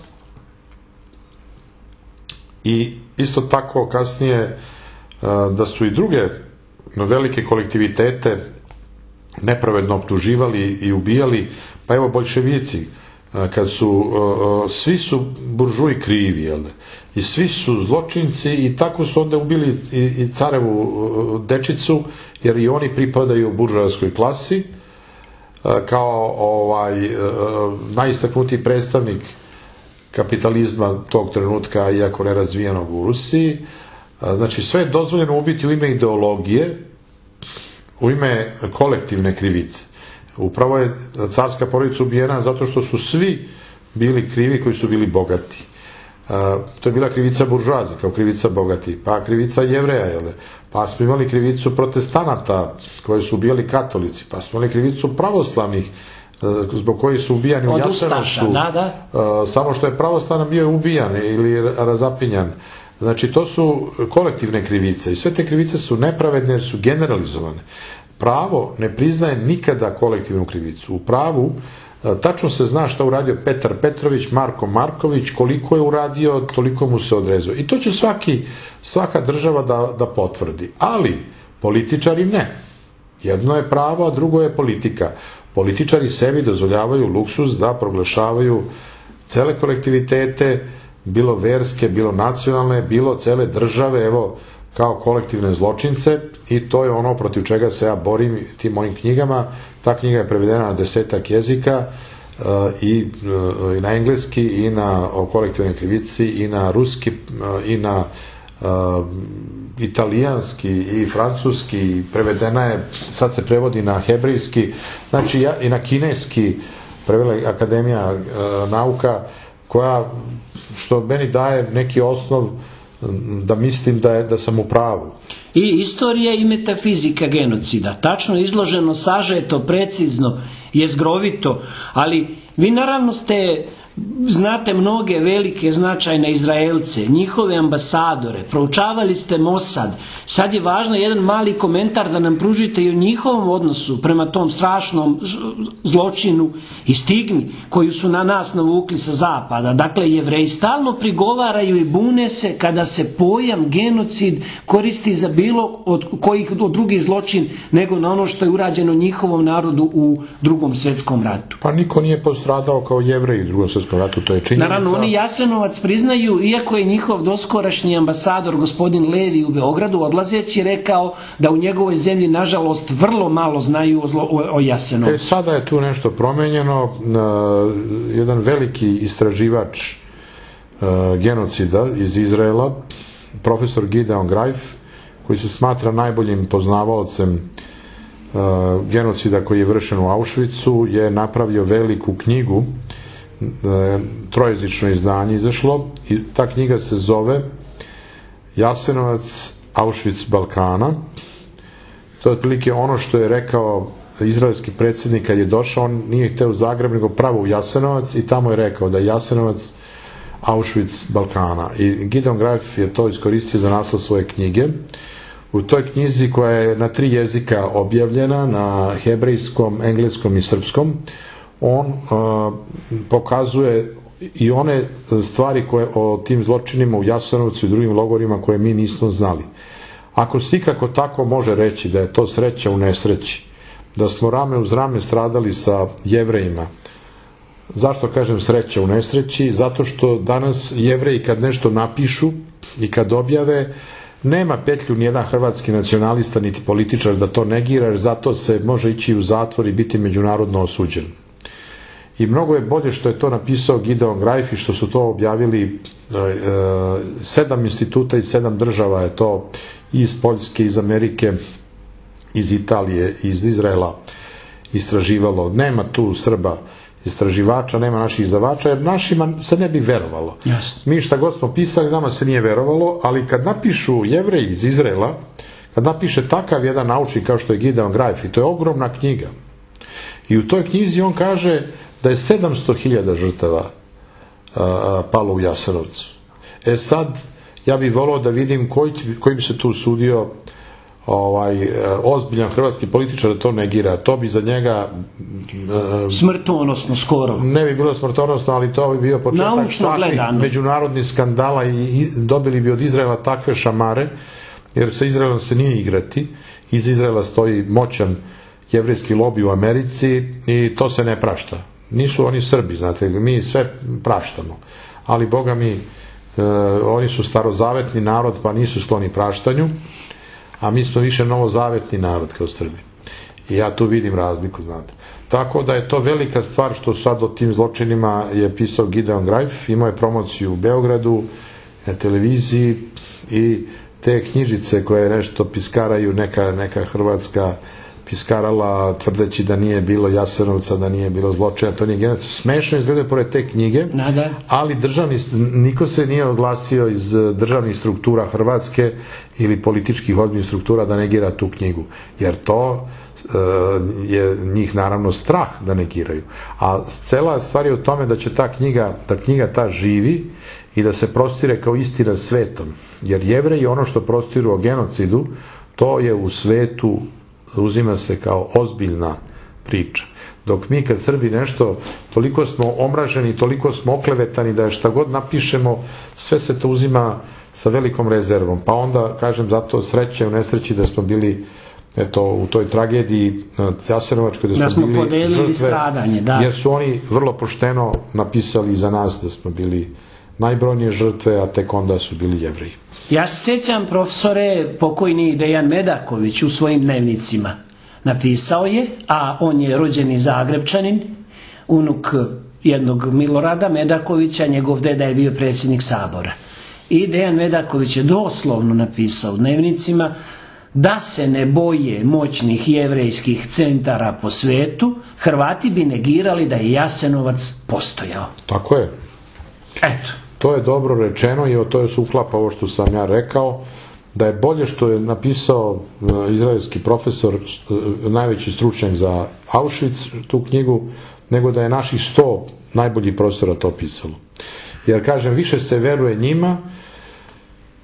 i isto tako kasnije a, da su i druge velike kolektivitete nepravedno optuživali i ubijali, pa evo boljševici, kad su, svi su buržuji krivi, jel da? I svi su zločinci i tako su onda ubili i, i carevu dečicu, jer i oni pripadaju buržoaskoj klasi, kao ovaj najistaknutiji predstavnik kapitalizma tog trenutka, iako nerazvijenog u Rusiji. Znači, sve je dozvoljeno ubiti u ime ideologije, u ime kolektivne krivice. Upravo je carska porodica ubijena zato što su svi bili krivi koji su bili bogati. To je bila krivica buržoazije, kao krivica bogati, pa krivica Jevreja, jel? Pa smo imali krivicu protestanata koji su ubijali katolici, pa smo imali krivicu pravoslavnih zbog koji su ubijani u Jasenovcu, da, da. Samo što je pravoslavan bio ubijan ili razapinjan. Znači, to su kolektivne krivice i sve te krivice su nepravedne jer su generalizovane. Pravo ne priznaje nikada kolektivnu krivicu. U pravu tačno se zna šta uradio Petar Petrović, Marko Marković, koliko je uradio, toliko mu se odrezao. I to će svaki, svaka država da, da potvrdi. Ali političari ne. Jedno je pravo, a drugo je politika. Političari sebi dozvoljavaju luksuz da proglašavaju cele kolektivitete, bilo verske, bilo nacionalne, bilo cele države, evo, kao kolektivne zločince, i to je ono protiv čega se ja borim tim mojim knjigama. Ta knjiga je prevedena na desetak jezika, i, i na engleski, i na o kolektivnoj krivici, i na ruski, i na uh, italijanski, i francuski, i prevedena je, sad se prevodi na hebrejski, znači ja, i na kineski, prevela Akademija uh, nauka, koja, što meni daje neki osnov da mislim da, je, da sam u pravu. I istorija i metafizika genocida, tačno izloženo, sažeto, precizno, jezgrovito, ali vi naravno ste, znate mnoge velike značajne Izraelce, njihove ambasadore, proučavali ste Mossad, sad je važno jedan mali komentar da nam pružite i o njihovom odnosu prema tom strašnom zločinu i stigmi koju su na nas navukli sa zapada. Dakle, Jevreji stalno prigovaraju i bune se kada se pojam genocid koristi za bilo od kojih od drugih zločin nego na ono što je urađeno njihovom narodu u drugom svetskom ratu. Pa niko nije postradao kao Jevreji u drugom svetskom ratu, to je činjenica. Naravno, oni Jasenovac priznaju, iako je njihov doskorašnji ambasador gospodin Levi u Beogradu odlazeći rekao da u njegovoj zemlji nažalost vrlo malo znaju o, zlo, o, o Jasenovcu. E, sada je tu nešto promenjeno. Jedan veliki istraživač genocida iz Izraela, profesor Gideon Greif, koji se smatra najboljim poznavaocem genocida koji je vršen u Auschwitzu, je napravio veliku knjigu, trojezično izdanje izašlo, i ta knjiga se zove Jasenovac, Auschwitz Balkana. To je otprilike ono što je rekao izraelski predsjednik kad je došao. On nije hteo u Zagreb, nego pravo u Jasenovac, i tamo je rekao da je Jasenovac Auschwitz Balkana. I Gideon Greif je to iskoristio za naslov svoje knjige. U toj knjizi, koja je na tri jezika objavljena, na hebrejskom, engleskom i srpskom, on uh, pokazuje i one stvari koje o tim zločinima u Jasenovcu i drugim logorima koje mi nismo znali. Ako se ikako tako može reći da je to sreća u nesreći, da smo rame uz rame stradali sa Jevrejima, zašto kažem sreća u nesreći? Zato što danas Jevreji kad nešto napišu i kad objave, nema petlju nijedan hrvatski nacionalista niti političar da to negira, jer zato se može ići u zatvor i biti međunarodno osuđen. i mnogo je bolje što je to napisao Gideon Greif i što su to objavili sedam instituta iz sedam država, je to iz Poljske, iz Amerike, iz Italije, iz Izraela istraživalo. Nema tu Srba istraživača, nema naših izdavača, jer našima se ne bi verovalo. Jasne. Mi šta god smo pisali, nama se nije verovalo, ali kad napišu Jevreji iz Izraela, kad napiše takav jedan naučnik kao što je Gideon Greif, i to je ogromna knjiga, i u toj knjizi on kaže da je sedamsto hiljada žrtava a, palo u Jasenovcu. E sad, ja bih volao da vidim koji, koji bi se tu sudio ovaj, ozbiljan hrvatski političar da to negira. To bi za njega smrtonosno skoro. Ne bi bilo smrtonosno, ali to bi bio početak takvih međunarodnih skandala i dobili bi od Izraela takve šamare, jer sa Izraelom se nije igrati. Iz Izraela stoji moćan jevrejski lobi u Americi i to se ne prašta. Nisu oni Srbi, znate, mi sve praštamo. Ali, Boga mi, e, oni su starozavetni narod, pa nisu skloni praštanju, a mi smo više novozavetni narod kao Srbi. I ja tu vidim razliku, znate. Tako da je to velika stvar što sad o tim zločinima je pisao Gideon Greif, imao je promociju u Beogradu, na televiziji, i te knjižice koje nešto piskaraju, neka, neka hrvatska piskarala tvrdeći da nije bilo Jasenovca, da nije bilo zločina, to nije genocid. Smešno izgledaju pored te knjige, ali državni, niko se nije oglasio iz državnih struktura Hrvatske ili političkih ozbiljnih struktura da negira tu knjigu, jer to je njih naravno strah da negiraju. A cela stvar je u tome da će ta knjiga, da knjiga ta živi i da se prostire kao istina svetom. Jer Jevreji ono što prostiru o genocidu, to je u svetu, uzima se kao ozbiljna priča. Dok mi kad Srbi nešto, toliko smo omraženi, toliko smo oklevetani da je šta god napišemo, sve se to uzima sa velikom rezervom. Pa onda, kažem, zato sreće u nesreći da smo bili eto, u toj tragediji Jasenovačkoj, da, da smo bili žrtve, stradanje, da. Jer su oni vrlo pošteno napisali za nas da smo bili najbrojnije žrtve, a tek onda su bili Jevreji. Ja se sjećam, profesore, pokojni Dejan Medaković u svojim dnevnicima napisao je, a on je rođeni Zagrebčanin, unuk jednog Milorada Medakovića, njegov deda je bio predsjednik Sabora. I Dejan Medaković je doslovno napisao u dnevnicima da se ne boje moćnih jevrejskih centara po svetu, Hrvati bi negirali da je Jasenovac postojao. Tako je. Eto. To je dobro rečeno i o to je se uklapa ovo što sam ja rekao, da je bolje što je napisao izraelski profesor, najveći stručnjak za Auschwitz, tu knjigu, nego da je naših sto najboljih profesora to pisalo. Jer, kažem, više se veruje njima,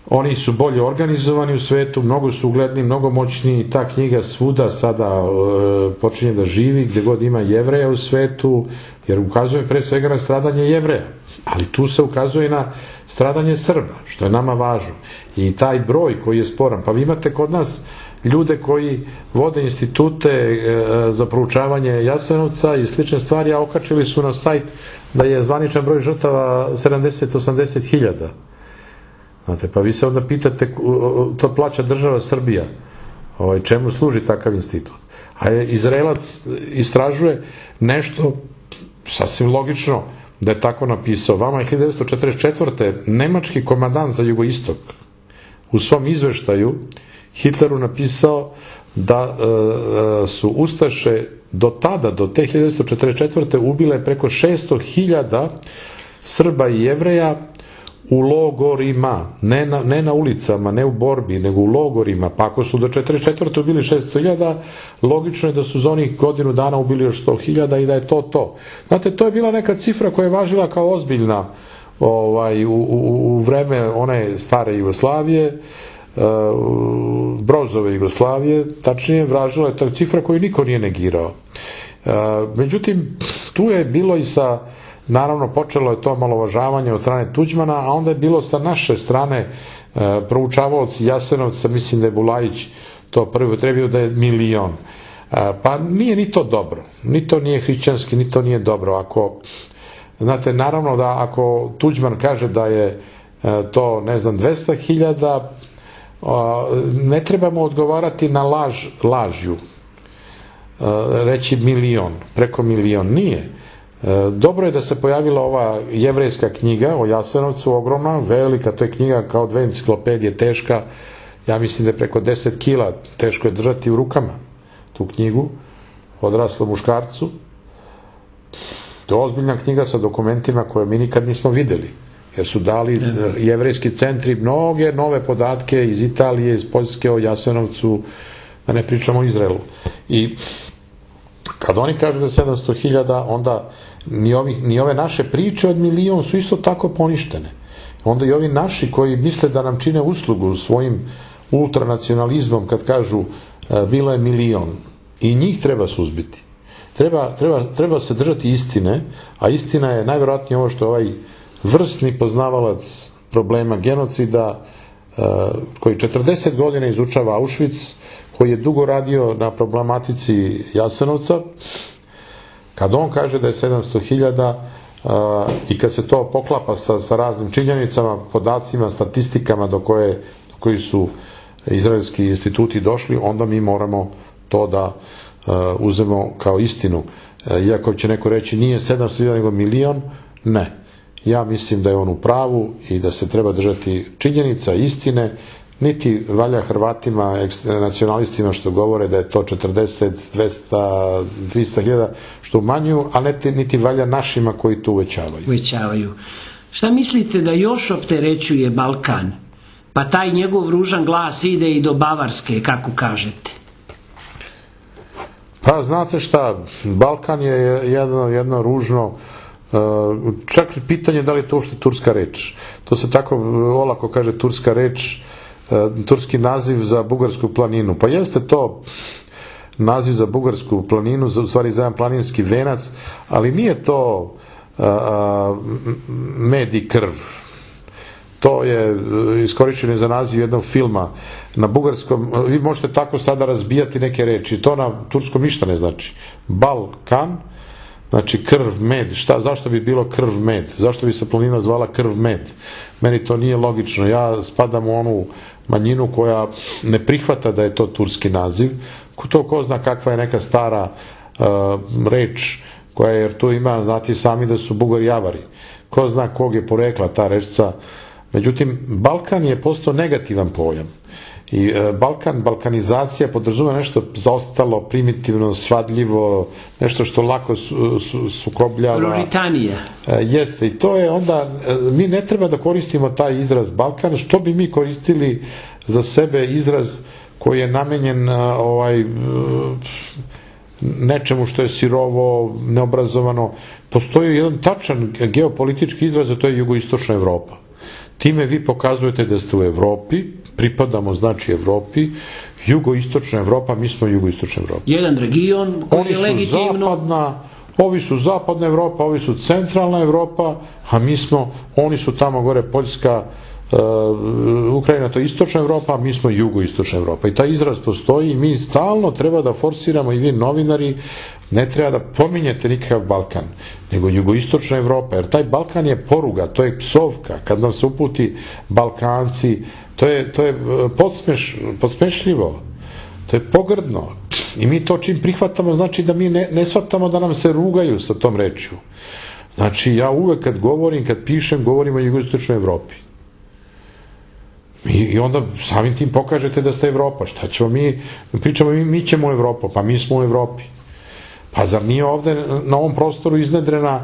oni su bolje organizovani u svetu, mnogo su ugledni, mnogo moćni, ta knjiga svuda sada e, počinje da živi, gdje god ima Jevreja u svetu, jer ukazuje pre svega na stradanje Jevreja, ali tu se ukazuje na stradanje Srba, što je nama važno. I taj broj koji je sporan, pa vi imate kod nas ljude koji vode institute e, za proučavanje Jasenovca i slične stvari, a okačili su na sajt da je zvaničan broj žrtava sedamdeset do osamdeset hiljada. Znate, pa vi se onda pitate, to plaća država Srbija, ovaj, čemu služi takav institut? A Izraelac istražuje nešto sasvim logično da je tako napisao. Vama je hiljadu devetsto četrdeset četvrte nemački komandant za jugoistok u svom izveštaju Hitleru napisao da e, su Ustaše do tada, do te hiljadu devetsto četrdeset četvrte ubile preko šesto hiljada Srba i Jevreja u logorima, ne na, ne na ulicama, ne u borbi, nego u logorima. Pa ako su do četrdeset četvrte ubili šesto hiljada, logično je da su za onih godinu dana ubili još sto hiljada i da je to to. Znate, to je bila neka cifra koja je važila kao ozbiljna ovaj, u, u, u vreme one stare Jugoslavije, uh, Brozove Jugoslavije, tačnije važila je ta cifra koju niko nije negirao. Uh, međutim, tu je bilo i sa naravno, počelo je to malovažavanje od strane Tuđmana, a onda je bilo sa naše strane e, proučavaoci Jasenovca, mislim da je Bulajić to prvi trebio da je milion. E, pa nije ni to dobro. Ni to nije hrišćanski, ni to nije dobro. Ako, znate, naravno da ako Tuđman kaže da je e, to, ne znam, dvesta hiljada, ne trebamo odgovarati na laž lažju. E, reći milion, preko milion. Nije. Dobro je da se pojavila ova jevrejska knjiga o Jasenovcu, ogromna, velika, to je knjiga kao dve enciklopedije, teška, ja mislim da je preko deset kila, teško je držati u rukama tu knjigu, odraslom muškarcu. To je ozbiljna knjiga sa dokumentima koje mi nikad nismo videli, jer su dali jevrejski centri mnoge nove podatke iz Italije, iz Poljske o Jasenovcu, da ne pričamo o Izraelu. I kad oni kažu da je sedamsto hiljada, onda ni, ovi, ni ove naše priče od milion su isto tako poništene. Onda i ovi naši koji misle da nam čine uslugu svojim ultranacionalizmom kad kažu e, bilo je milion, i njih treba suzbiti. Treba, treba, treba se držati istine, a istina je najvjerojatnije ovo što ovaj vrsni poznavalac problema genocida, e, koji četrdeset godina izučava Auschwitz, koji je dugo radio na problematici Jasenovca, kad on kaže da je sedamsto hiljada i kad se to poklapa sa, sa raznim činjenicama, podacima, statistikama do koje do koji su izraelski instituti došli, onda mi moramo to da uh, uzmemo kao istinu. Uh, iako će neko reći nije sedamsto hiljada nego milion, ne. Ja mislim da je on u pravu i da se treba držati činjenica, istine. Niti valja Hrvatima, nacionalistima što govore da je to četrdeset, dvesta, dvista hiljada što umanjuju, a niti, niti valja našima koji to uvećavaju. Uvećavaju. Šta mislite da još opterećuje Balkan? Pa taj njegov ružan glas ide i do Bavarske, kako kažete. Pa znate šta, Balkan je jedno, jedno ružno, čak i pitanje da li je to uopšte turska reč. To se tako olako kaže turska reč, turski naziv za Bugarsku planinu. Pa jeste to naziv za Bugarsku planinu, u stvari za jedan planinski venac, ali nije to a, a, med i krv. To je iskorišteno za naziv jednog filma. Na bugarskom, vi možete tako sada razbijati neke reči, to na turskom ništa ne znači. Balkan, znači krv, med, šta, zašto bi bilo krv, med? Zašto bi se planina zvala krv, med? Meni to nije logično. Ja spadam u onu manjinu koja ne prihvata da je to turski naziv. To ko zna kakva je neka stara uh, reč koja je, jer tu ima, znati sami da su Bugari javari. Ko zna kog je porekla ta rečca. Međutim, Balkan je postao negativan pojam. I e, Balkan, balkanizacija podrazumeva nešto zaostalo, primitivno, svadljivo, nešto što lako su, su, sukobljava. Britanija. E, jeste, i to je onda, e, mi ne treba da koristimo taj izraz Balkan, što bi mi koristili za sebe izraz koji je namenjen a, ovaj, nečemu što je sirovo, neobrazovano. Postoji jedan tačan geopolitički izraz, a to je jugoistočna Evropa. Time vi pokazujete da ste u Evropi, pripadamo znači Evropi, jugoistočna Evropa, mi smo jugoistočna Evropa. Jedan region koji oni je legitimno... Zapadna, ovi su zapadna Evropa, ovi su centralna Evropa, a mi smo, oni su tamo gore Poljska, uh, Ukrajina, to je istočna Evropa, a mi smo jugoistočna Evropa. I taj izraz postoji i mi stalno treba da forsiramo, i vi novinari, ne treba da pominjete nikakav Balkan, nego jugoistočna Evropa, jer taj Balkan je poruga, to je psovka, kad nam se uputi Balkanci, to je, to je podsmeš, podsmešljivo, to je pogrdno. I mi to čim prihvatamo, znači da mi ne, ne shvatamo da nam se rugaju sa tom rečju. Znači ja uvek kad govorim, kad pišem, govorim o jugoistočnoj Evropi. I, I onda samim tim pokažete da ste Evropa. Šta ćemo mi, pričamo mi, mi ćemo u Evropu, pa mi smo u Evropi. Pa zar nije ovde na ovom prostoru iznedrena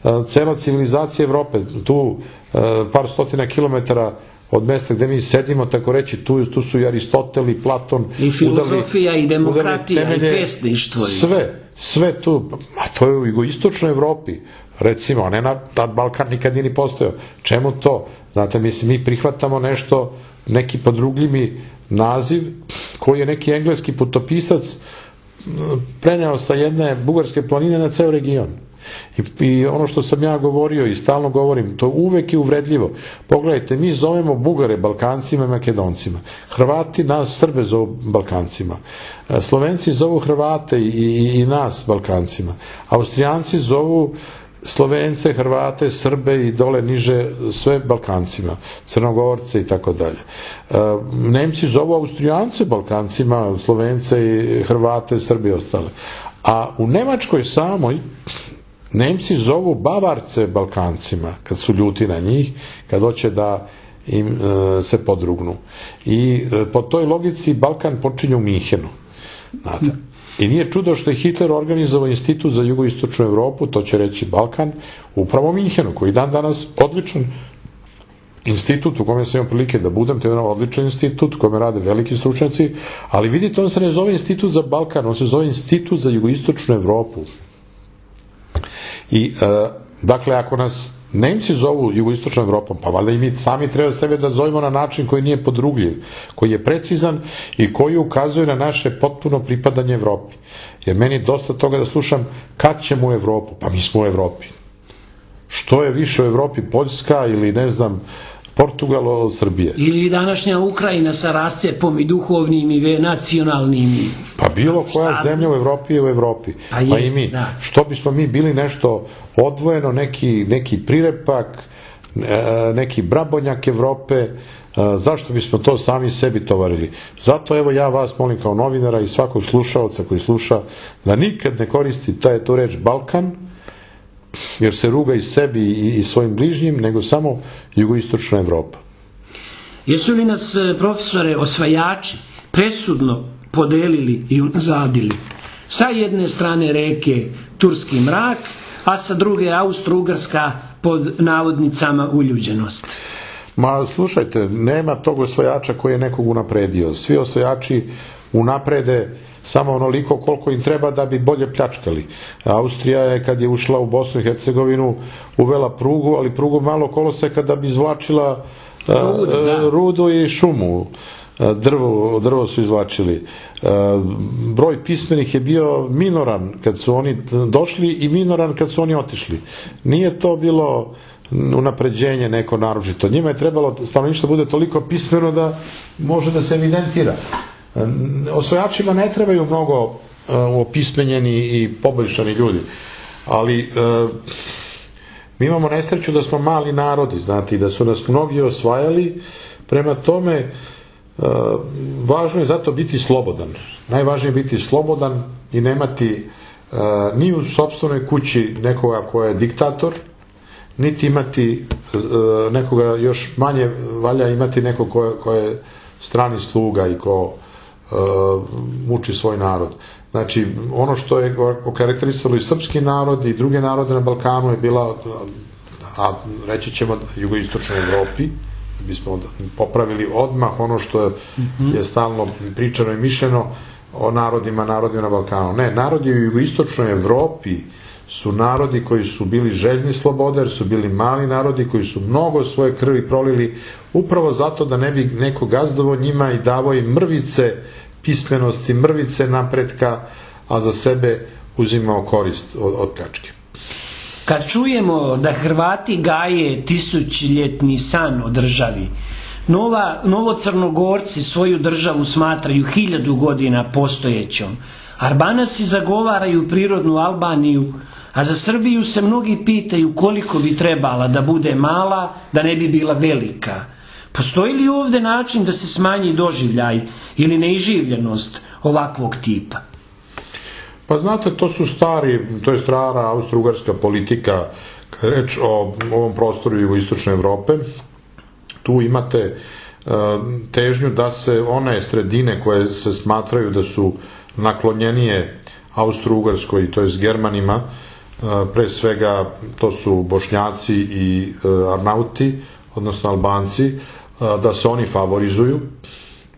uh, cela civilizacija Evrope, tu uh, par stotina kilometara od mesta gde mi sedimo, tako reći, tu, tu su i Aristotel i Platon, i filozofija udali, i demokratija temelje, i pesništvo. Sve, sve tu, a to je u jugoistočnoj Evropi, recimo, a ne na, na Balkan nikad nije ni postojao. Čemu to? Znate, mislim, mi prihvatamo nešto, neki podrugljivi naziv, koji je neki engleski putopisac preneo sa jedne bugarske planine na ceo region. I, I ono što sam ja govorio i stalno govorim, to uvek je uvredljivo. Pogledajte, mi zovemo Bugare Balkancima i Makedoncima. Hrvati nas Srbe zovu Balkancima. Slovenci zovu Hrvate i, i, i nas Balkancima. Austrijanci zovu Slovence, Hrvate, Srbe i dole niže sve Balkancima, Crnogorce i tako dalje. Nemci zovu Austrijance Balkancima, Slovence i Hrvate, Srbe i ostale. A u Nemačkoj samoj Nemci zovu Bavarce Balkancima, kad su ljuti na njih, kad hoće da im e, se podrugnu. I e, po toj logici Balkan počinje u Minhenu. Znate. I nije čudo što je Hitler organizovao institut za jugoistočnu Evropu, to će reći Balkan, upravo u Minhenu, koji dan danas odličan institut u kome sam imao prilike da budem, to je jedan odličan institut u kome rade veliki stručnjaci, ali vidite, on se ne zove institut za Balkan, on se zove institut za jugoistočnu Evropu. I, e, dakle, ako nas Nemci zovu jugoistočnom Evropom, pa valjda i mi sami treba sebe da zovemo na način koji nije podrugljiv, koji je precizan i koji ukazuje na naše potpuno pripadanje Evropi. Jer meni je dosta toga da slušam kad ćemo u Evropu, pa mi smo u Evropi. Što je više u Evropi, Poljska ili ne znam, Portugal od Srbije. Ili današnja Ukrajina sa rascepom i duhovnim i nacionalnim. Pa bilo koja zemlja u Evropi je u Evropi. Pa, pa jest, i mi. Da. Što bismo mi bili nešto odvojeno, neki, neki prirepak, neki brabonjak Evrope, zašto bismo to sami sebi tovarili? Zato evo ja vas molim kao novinara i svakog slušalca koji sluša da nikad ne koristi taj tu reč Balkan, jer se ruga i sebi i svojim bližnjim, nego samo jugoistočna Evropa. Jesu li nas, profesore, osvajači presudno podelili i unazadili? Sa jedne strane reke Turski mrak, a sa druge Austro-Ugarska pod navodnicama uljuđenost. Ma slušajte, nema tog osvajača koji je nekog unapredio. Svi osvajači unaprede samo onoliko koliko im treba da bi bolje pljačkali. Austrija je kad je ušla u Bosnu i Hercegovinu uvela prugu, ali prugu malo koloseka da bi izvlačila rudu, da. rudu i šumu. Drvo, drvo su izvlačili. Broj pismenih je bio minoran kad su oni došli i minoran kad su oni otišli. Nije to bilo unapređenje neko naročito. Njima je trebalo stanovništvo bude toliko pismeno da može da se evidentira. Osvajačima ne trebaju mnogo opismenjeni i poboljšani ljudi, ali mi imamo nesreću da smo mali narodi, znate, i da su nas mnogi osvajali, prema tome važno je zato biti slobodan. Najvažnije je biti slobodan i nemati ni u sopstvenoj kući nekoga ko je diktator, niti imati nekoga, još manje valja imati nekog ko, ko je strani sluga i ko muči svoj narod. Znači, ono što je okarakterisalo i srpski narod i druge narode na Balkanu je bila, a reći ćemo jugoistočnoj Evropi, bismo popravili odmah ono što je, mm-hmm. je stalno pričano i mišljeno o narodima, narodima na Balkanu. Ne, narodi u jugoistočnoj Evropi su narodi koji su bili željni slobode, jer su bili mali narodi koji su mnogo svoje krvi prolili upravo zato da ne bi neko gazdovo njima i davo im mrvice pismenosti, mrvice napretka, a za sebe uzimao korist od, od pljačke. Kad čujemo da Hrvati gaje tisućljetni san o državi, Nova, Novocrnogorci svoju državu smatraju hiljadu godina postojećom, Arbanasi zagovaraju prirodnu Albaniju, a za Srbiju se mnogi pitaju koliko bi trebala da bude mala, da ne bi bila velika. Postoji li ovde način da se smanji doživljaj ili neiživljenost ovakvog tipa? Pa znate, to su stari, to je stara austro-ugarska politika, kada je reč o ovom prostoru jugoistočne Evrope. Tu imate uh, težnju da se one sredine koje se smatraju da su naklonjenije Austro-Ugarskoj, to je s Germanima, uh, pre svega to su Bošnjaci i uh, Arnauti, odnosno Albanci, uh, da se oni favorizuju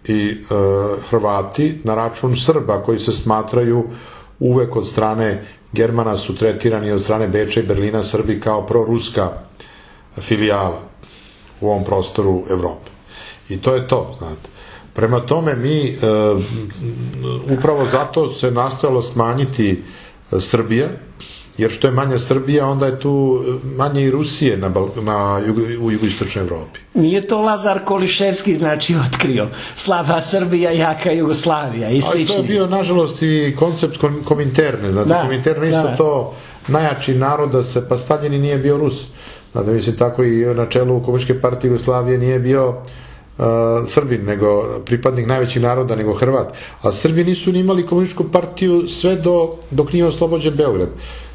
i uh, Hrvati na račun Srba koji se smatraju uvek od strane Germana su tretirani od strane Beča i Berlina Srbi kao proruska filijala u ovom prostoru Evrope. I to je to, znate. Prema tome mi e, upravo zato se nastojalo smanjiti Srbija, jer što je manja Srbija, onda je tu manje i Rusije na, na, u jugoistočnoj Evropi. Nije to Lazar Koliševski znači otkrio slaba Srbija, jaka Jugoslavija i slični. Ali to je bio nažalost i koncept Kominterne. Znači, da, Kominterne isto da. To najjači narod da se, pa Staljin nije bio Rus. Znači, mislim, tako i na čelu Komunističke partije Jugoslavije nije bio uh, Srbin, nego pripadnik najvećih naroda, nego Hrvat. A Srbi nisu ni imali komunističku partiju sve do, dok nije oslobođen Beograd.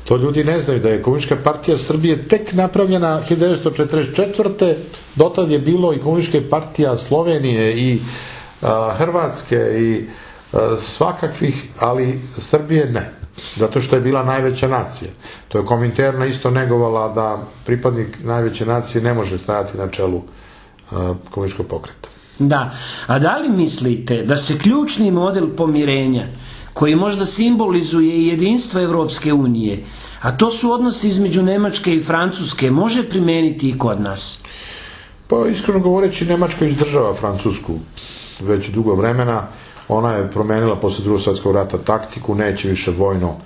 To ljudi ne znaju, da je Komunistička partija Srbije tek napravljena hiljadu devetsto četrdeset četvrte. Dotad je bilo i Komunistička partija Slovenije i a, Hrvatske i a, svakakvih, ali Srbije ne. Zato što je bila najveća nacija. To je Kominterna isto negovala da pripadnik najveće nacije ne može stajati na čelu a, komunističkog pokreta. Da, a da li mislite da se ključni model pomirenja, koji možda simbolizuje i jedinstvo Evropske unije, a to su odnosi između Nemačke i Francuske, može primeniti i kod nas? Pa iskreno govoreći, Nemačka izdržava Francusku već dugo vremena. Ona je promenila posle drugog svjetskog rata taktiku, neće više vojno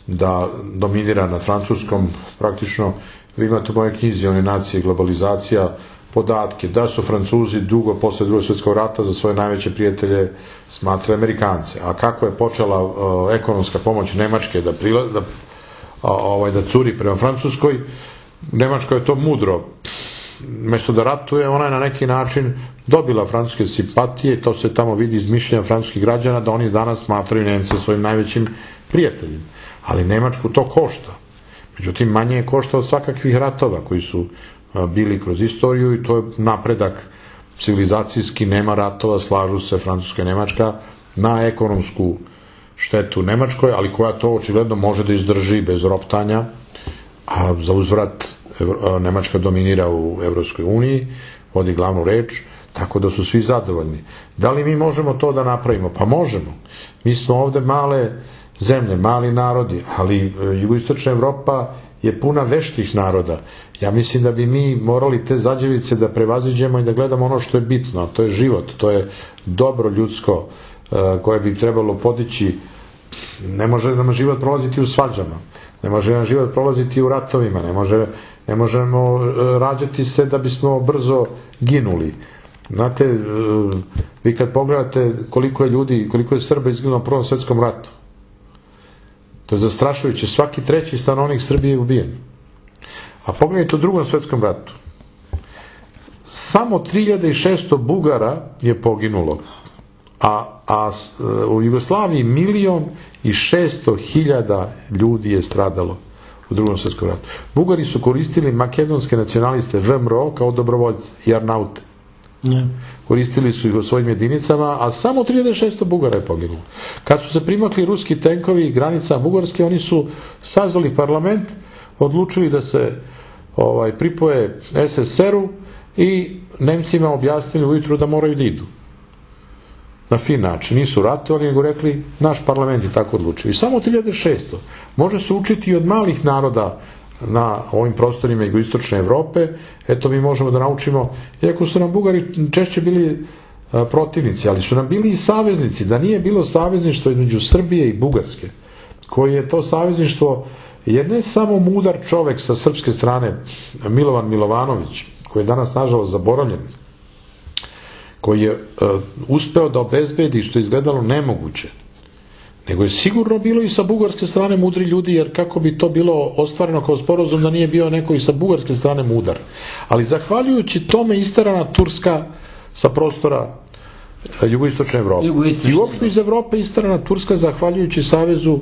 da dominira nad Francuskom. Praktično, vi imate u mojoj knjizi One nacije i globalizacija podatke da su Francuzi dugo posle drugog svjetskog rata za svoje najveće prijatelje smatrali Amerikance. A kako je počela uh, ekonomska pomoć Nemačke da, prila, da, uh, ovaj, da curi prema Francuskoj, Nemačka je to mudro. Mesto da ratuje, ona je na neki način dobila francuske simpatije, to se tamo vidi iz mišljenja francuskih građana, da oni danas smatraju Nemce svojim najvećim prijateljima. Ali Nemačku to košta. Međutim, manje je košta od svakakvih ratova koji su bili kroz istoriju i to je napredak civilizacijski, nema ratova, slažu se Francuska i Nemačka na ekonomsku štetu Nemačkoj, ali koja to očigledno može da izdrži bez roptanja, a za uzvrat Nemačka dominira u Evropskoj uniji, vodi glavnu reč, tako da su svi zadovoljni. Da li mi možemo to da napravimo? Pa možemo. Mi smo ovde male zemlje, mali narodi, ali jugoistočna Evropa je puna veštih naroda. Ja mislim da bi mi morali te zađevice da prevaziđemo i da gledamo ono što je bitno, a to je život, to je dobro ljudsko koje bi trebalo podići. Ne može nam život prolaziti u svađama, ne može nam život prolaziti u ratovima, ne, može, ne možemo rađati se da bismo brzo ginuli. Znate, vi kad pogledate koliko je ljudi, koliko je Srba izginulo u Prvom svjetskom ratu, to je zastrašujuće, svaki treći stanovnik Srbije je ubijen. A pogledajte u Drugom svjetskom ratu. Samo tri hiljade šesto Bugara je poginulo, a, a u Jugoslaviji milion i šesto hiljada ljudi je stradalo u Drugom svjetskom ratu. Bugari su koristili makedonske nacionaliste V M R O kao dobrovoljce i Arnaute. Ne. Koristili su ih u svojim jedinicama, a samo tri hiljade šesto Bugara je poginulo. Kad su se primakli ruski tenkovi granica Bugarske, oni su sazvali parlament, odlučili da se ovaj, pripoje S S S R-u i Nemcima objasnili ujutru da moraju da idu. Na fin način. Nisu ratovali, nego rekli, naš parlament je tako odlučio. I samo tri hiljade šesto. Može se učiti i od malih naroda na ovim prostorima jugoistočne Evrope. Eto, mi možemo da naučimo, iako su nam Bugari češće bili a, protivnici, ali su nam bili i saveznici. Da nije bilo savezništvo između Srbije i Bugarske, koji je to savezništvo, jer ne samo mudar čovek sa srpske strane, Milovan Milovanović, koji je danas nažalost zaboravljen, koji je uh, uspeo da obezbedi, što je izgledalo nemoguće, nego je sigurno bilo i sa bugarske strane mudri ljudi, jer kako bi to bilo ostvareno kao sporazum da nije bio neko i sa bugarske strane mudar. Ali zahvaljujući tome istarana Turska sa prostora uh, jugoistočne Evrope. Jugoistočne. I uopšte iz Evrope istarana Turska zahvaljujući savezu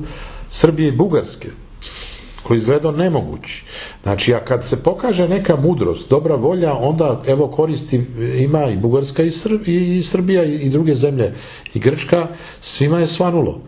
Srbije i Bugarske, koji izgledao nemogući. Znači, a kad se pokaže neka mudrost, dobra volja, onda evo koristi ima i Bugarska i, Srb, i Srbija i druge zemlje i Grčka, svima je svanulo.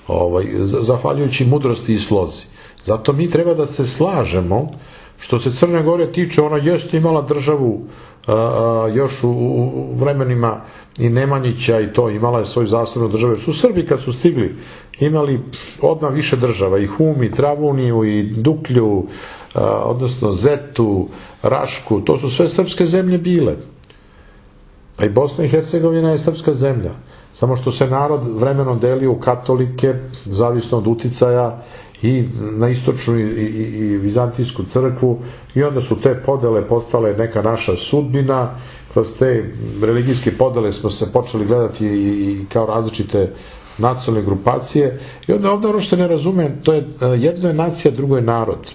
Ovaj, zahvaljujući mudrosti i slozi. Zato mi treba da se slažemo, što se Crne Gore tiče, ona jeste imala državu a, a, još u, u vremenima i Nemanjića i to, imala je svoju zasebnu državu. Su Srbi kad su stigli imali odmah više država, i Hum, i Travuniju, i Duklju, a, odnosno Zetu, Rašku, to su sve srpske zemlje bile. A i Bosna i Hercegovina je srpska zemlja. Samo što se narod vremenom delio u katolike, zavisno od uticaja, i na istočnu i, i, i vizantijsku crkvu, i onda su te podele postale neka naša sudbina. Kroz te religijske podele smo se počeli gledati i, i kao različite nacionalne grupacije, i onda ovdje ono što ne razume, to je jedno je nacija, drugo je narod.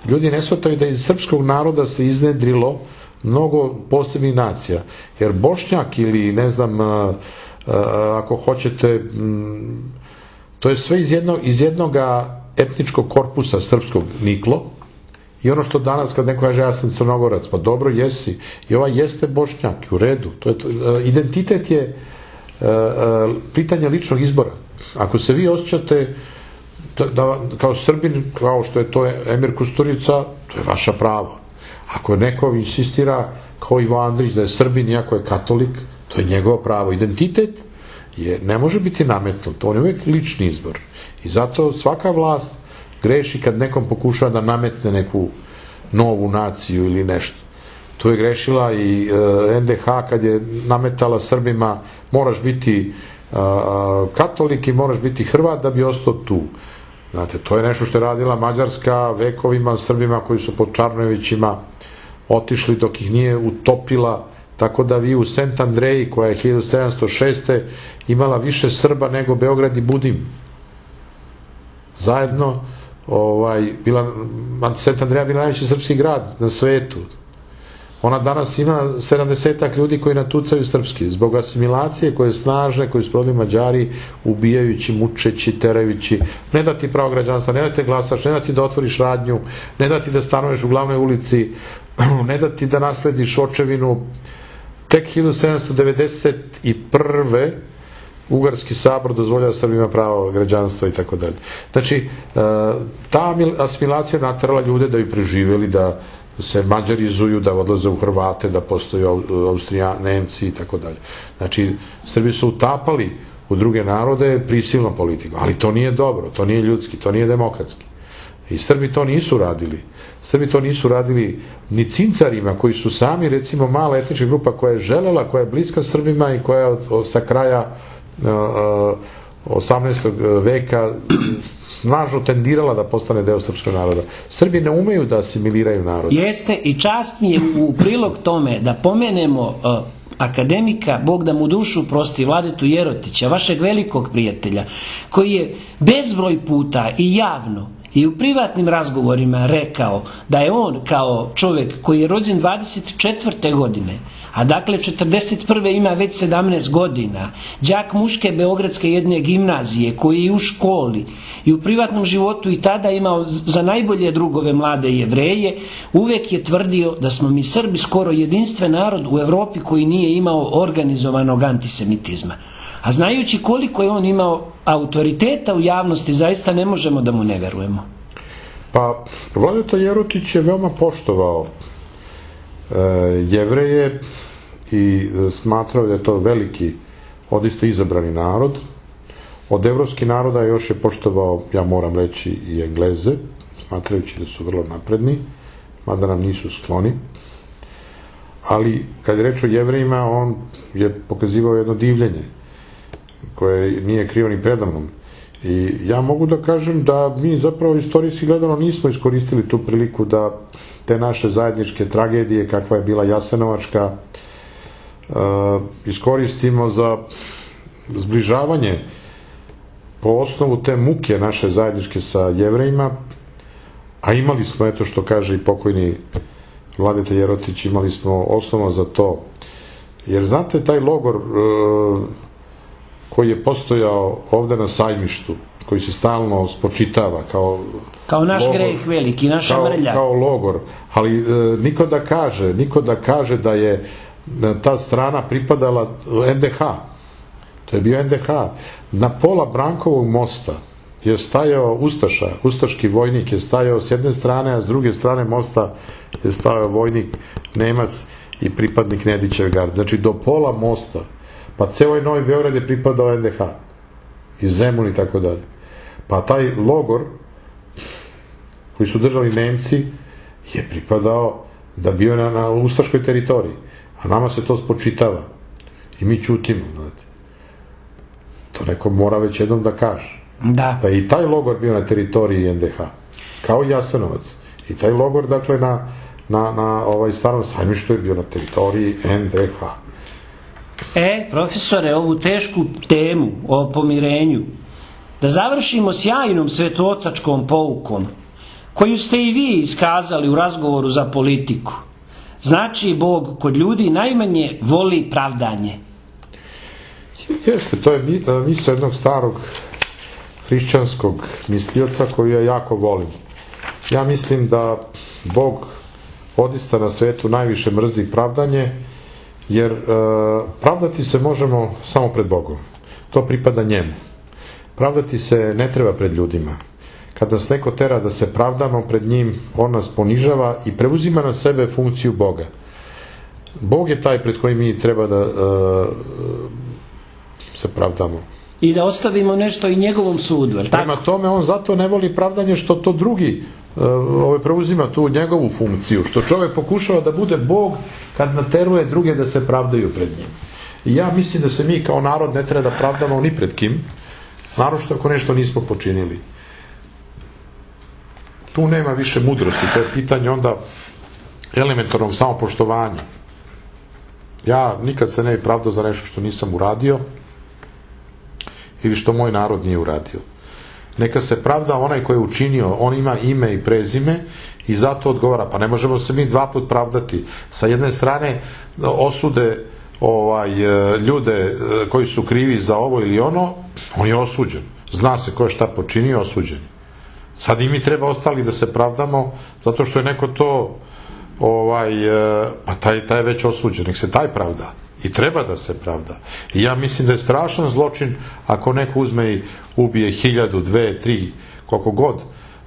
Ljudi ne shvataju da iz srpskog naroda se iznedrilo mnogo posebnih nacija, jer Bošnjak ili ne znam, ako hoćete, to je sve iz jednog, iz jednoga etničkog korpusa srpskog niklo. I ono što danas kad neko kaže ja sam Crnogorac, pa dobro jesi, i ovaj jeste Bošnjak, u redu. To je to, identitet je uh, uh, pitanje ličnog izbora. Ako se vi osjećate da, kao Srbin, kao što je to Emir Kusturica, to je vaša pravo. Ako neko insistira kao Ivo Andrić da je Srbin iako je katolik, to je njegovo pravo. Identitet je, ne može biti nametnut, on je uvijek lični izbor. I zato svaka vlast greši kad nekom pokušava da nametne neku novu naciju ili nešto. Tu je grešila i e, en de ha kad je nametala Srbima moraš biti e, katolik i moraš biti Hrvat da bi ostao tu. Znate, to je nešto što je radila Mađarska vekovima Srbima koji su pod Čarnojevićima otišli dok ih nije utopila, tako da vi u Sent Andreji koja je hiljadu sedamsto šeste imala više Srba nego Beograd i Budim. Zajedno ovaj, bila, Sent Andreja bila najveći srpski grad na svetu. Ona danas ima sedamdesetak ljudi koji natucaju srpski, zbog asimilacije koje snažne, koje su prodali Mađari, ubijajući, mučeći, terajući, ne da ti pravo građanstva, ne da ti glasaš, ne da ti da otvoriš radnju, ne da ti da stanuješ u glavnoj ulici, ne da ti da naslediš očevinu. Tek hiljadu sedamsto devedeset prve Ugarski sabor dozvoljava Srbima pravo građanstva i tako dalje. Znači, ta asimilacija naterala ljude da bi preživjeli, da se mađarizuju, da odlaze u Hrvate, da postoje Austrija, Nemci i tako dalje. Znači, Srbi su utapali u druge narode prisilnom politikom, ali to nije dobro, to nije ljudski, to nije demokratski. I Srbi to nisu radili. Srbi to nisu radili ni cincarima koji su sami, recimo, mala etnička grupa koja je želela, koja je bliska Srbima i koja je sa kraja osamnaestog veka snažno tendirala da postane deo srpskog naroda. Srbi ne umeju da asimiliraju narod. Jeste, i čast mi je u prilog tome da pomenemo uh, akademika, Bog da mu dušu prosti, Vladetu Jerotića, vašeg velikog prijatelja, koji je bezbroj puta i javno i u privatnim razgovorima rekao da je on kao čovjek koji je rođen dvadeset četvrte godine, a dakle četrdeset prve ima već sedamnaest godina, đak muške beogradske jedne gimnazije koji je u školi i u privatnom životu i tada imao za najbolje drugove mlade Jevreje, uvijek je tvrdio da smo mi Srbi skoro jedinstven narod u Evropi koji nije imao organizovanog antisemitizma. A znajući koliko je on imao autoriteta u javnosti, zaista ne možemo da mu ne verujemo. Pa, Vladeta Jerotić je veoma poštovao e, Jevreje i smatrao da je to veliki, odista izabrani narod. Od evropskih naroda još je poštovao, ja moram reći, i Engleze, smatrajući da su vrlo napredni, mada nam nisu skloni. Ali, kad je reč o Jevrejima, on je pokazivao jedno divljenje koje nije krivo ni predavnom. I ja mogu da kažem da mi zapravo istorijski gledano nismo iskoristili tu priliku da te naše zajedničke tragedije, kakva je bila Jasenovačka, iskoristimo za zbližavanje po osnovu te muke naše zajedničke sa Jevrejima, a imali smo, eto što kaže i pokojni Vladeta Jerotić, imali smo osnovu za to. Jer znate, taj logor koji je postojao ovde na Sajmištu, koji se stalno spočitava kao kao naš logor, greh veliki, naša kao, mrlja. Kao logor, ali e, niko da kaže, niko da kaže da je ta strana pripadala en de ha. To je bio en de ha. Na pola Brankovog mosta je stajao Ustaša, ustaški vojnik je stajao s jedne strane, a s druge strane mosta je stajao vojnik Nemac i pripadnik Nedićeve garde. Znači do pola mosta. Pa ceo ovaj Novi Beograd je pripadao en de ha. I Zemun i tako dalje. Pa taj logor koji su držali Nemci je pripadao da bio na, na ustaškoj teritoriji. A nama se to spočitava. I mi ćutimo, znate. To neko mora već jednom da kaže. Da. Pa i taj logor bio na teritoriji en de ha. Kao Jasenovac. I taj logor, dakle, na, na, na ovaj starom Sajmištu je bio na teritoriji en de ha. E, profesore, ovu tešku temu o pomirenju, da završimo sjajnom svetotačkom poukom, koju ste i vi iskazali u razgovoru za politiku. Znači, Bog kod ljudi najmanje voli pravdanje. Jeste, to je misao jednog starog hrišćanskog mislioca koju ja jako volim. Ja mislim da Bog odista na svetu najviše mrzi pravdanje, jer e, pravdati se možemo samo pred Bogom. To pripada njemu. Pravdati se ne treba pred ljudima. Kad nas neko tera da se pravdamo pred njim, on nas ponižava i preuzima na sebe funkciju Boga. Bog je taj pred kojim mi treba da e, se pravdamo. I da ostavimo nešto i njegovom sudu. Prema tome, on zato ne voli pravdanje što to drugi uh, ove, preuzima tu njegovu funkciju. Što čovjek pokušava da bude Bog kad nateruje druge da se pravdaju pred njim. I ja mislim da se mi kao narod ne treba da pravdamo ni pred kim, naročito ako nešto nismo počinili. Tu nema više mudrosti, to je pitanje onda elementarnog samopoštovanja. Ja nikad se ne bi pravdao za nešto što nisam uradio ili što moj narod nije uradio. Neka se pravda onaj koji je učinio, on ima ime i prezime i zato odgovara. Pa ne možemo se mi dva put pravdati. Sa jedne strane osude ovaj, ljude koji su krivi za ovo ili ono, on je osuđen. Zna se ko je šta počinio, osuđen. Sad i mi treba ostali da se pravdamo zato što je neko to ovaj, pa taj, taj je već osuđen. Nek se taj pravda. I treba da se pravda. I ja mislim da je strašan zločin ako neko uzme i ubije hiljadu, dve, tri, koliko god,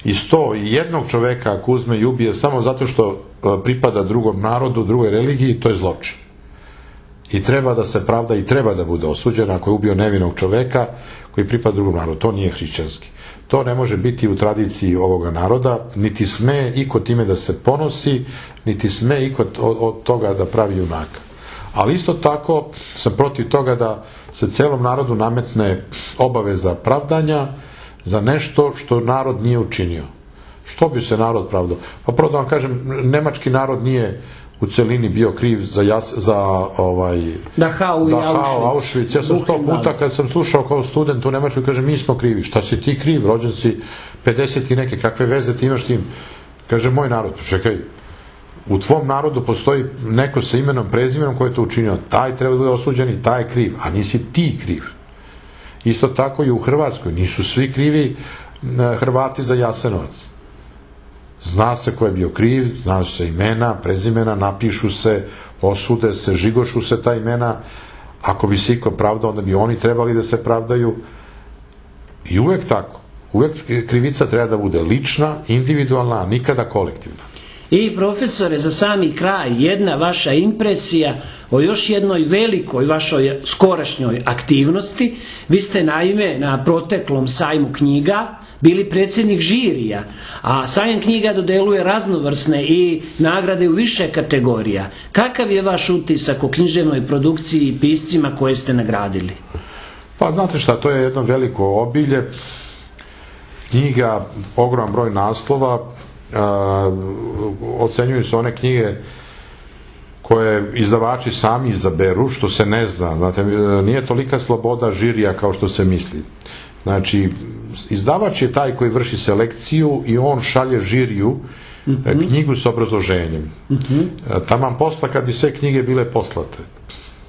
i sto i jednog čoveka ako uzme i ubije samo zato što pripada drugom narodu, drugoj religiji, to je zločin. I treba da se pravda i treba da bude osuđen ako je ubio nevinog čoveka koji pripada drugom narodu. To nije hrišćanski. To ne može biti u tradiciji ovoga naroda, niti sme iko time da se ponosi, niti sme iko od toga da pravi junaka. Ali isto tako sam protiv toga da se celom narodu nametne obaveza pravdanja za nešto što narod nije učinio. Što bi se narod pravdao? Pa prvo da vam kažem, nemački narod nije u celini bio kriv za, jas, za ovaj, Dachau i Auschwitz. Auschwitz. Ja sam sto puta kad sam slušao kao student u Nemačkoj, kaže mi smo krivi. Šta si ti kriv? Rođen si pedeset i neke, kakve veze ti imaš tim? Kaže moj narod. Čekaj, u tvom narodu postoji neko sa imenom, prezimenom koji je to učinio. Taj treba da bude osuđen i taj je kriv, a nisi ti kriv. Isto tako i u Hrvatskoj. Nisu svi krivi Hrvati za Jasenovac. Zna se ko je bio kriv, zna se imena, prezimena, napišu se, osude se, žigošu se ta imena. Ako bi se iko pravdao, onda bi oni trebali da se pravdaju. I uvek tako. Uvek krivica treba da bude lična, individualna, a nikada kolektivna. I profesore, za sami kraj, jedna vaša impresija o još jednoj velikoj vašoj skorašnjoj aktivnosti. Vi ste naime na proteklom sajmu knjiga bili predsjednik žirija, a sajam knjiga dodeluje raznovrsne i nagrade u više kategorija. Kakav je vaš utisak o književnoj produkciji i piscima koje ste nagradili? Pa znate šta, to je jedno veliko obilje. Knjiga, ogroman broj naslova, Uh, ocenjuju se one knjige koje izdavači sami izaberu, što se ne zna. Znate, nije tolika sloboda žirija kao što se misli. Znači, izdavač je taj koji vrši selekciju i on šalje žiriju mm-hmm. knjigu s obrazloženjem. Mm-hmm. Taman posla kad bi sve knjige bile poslate.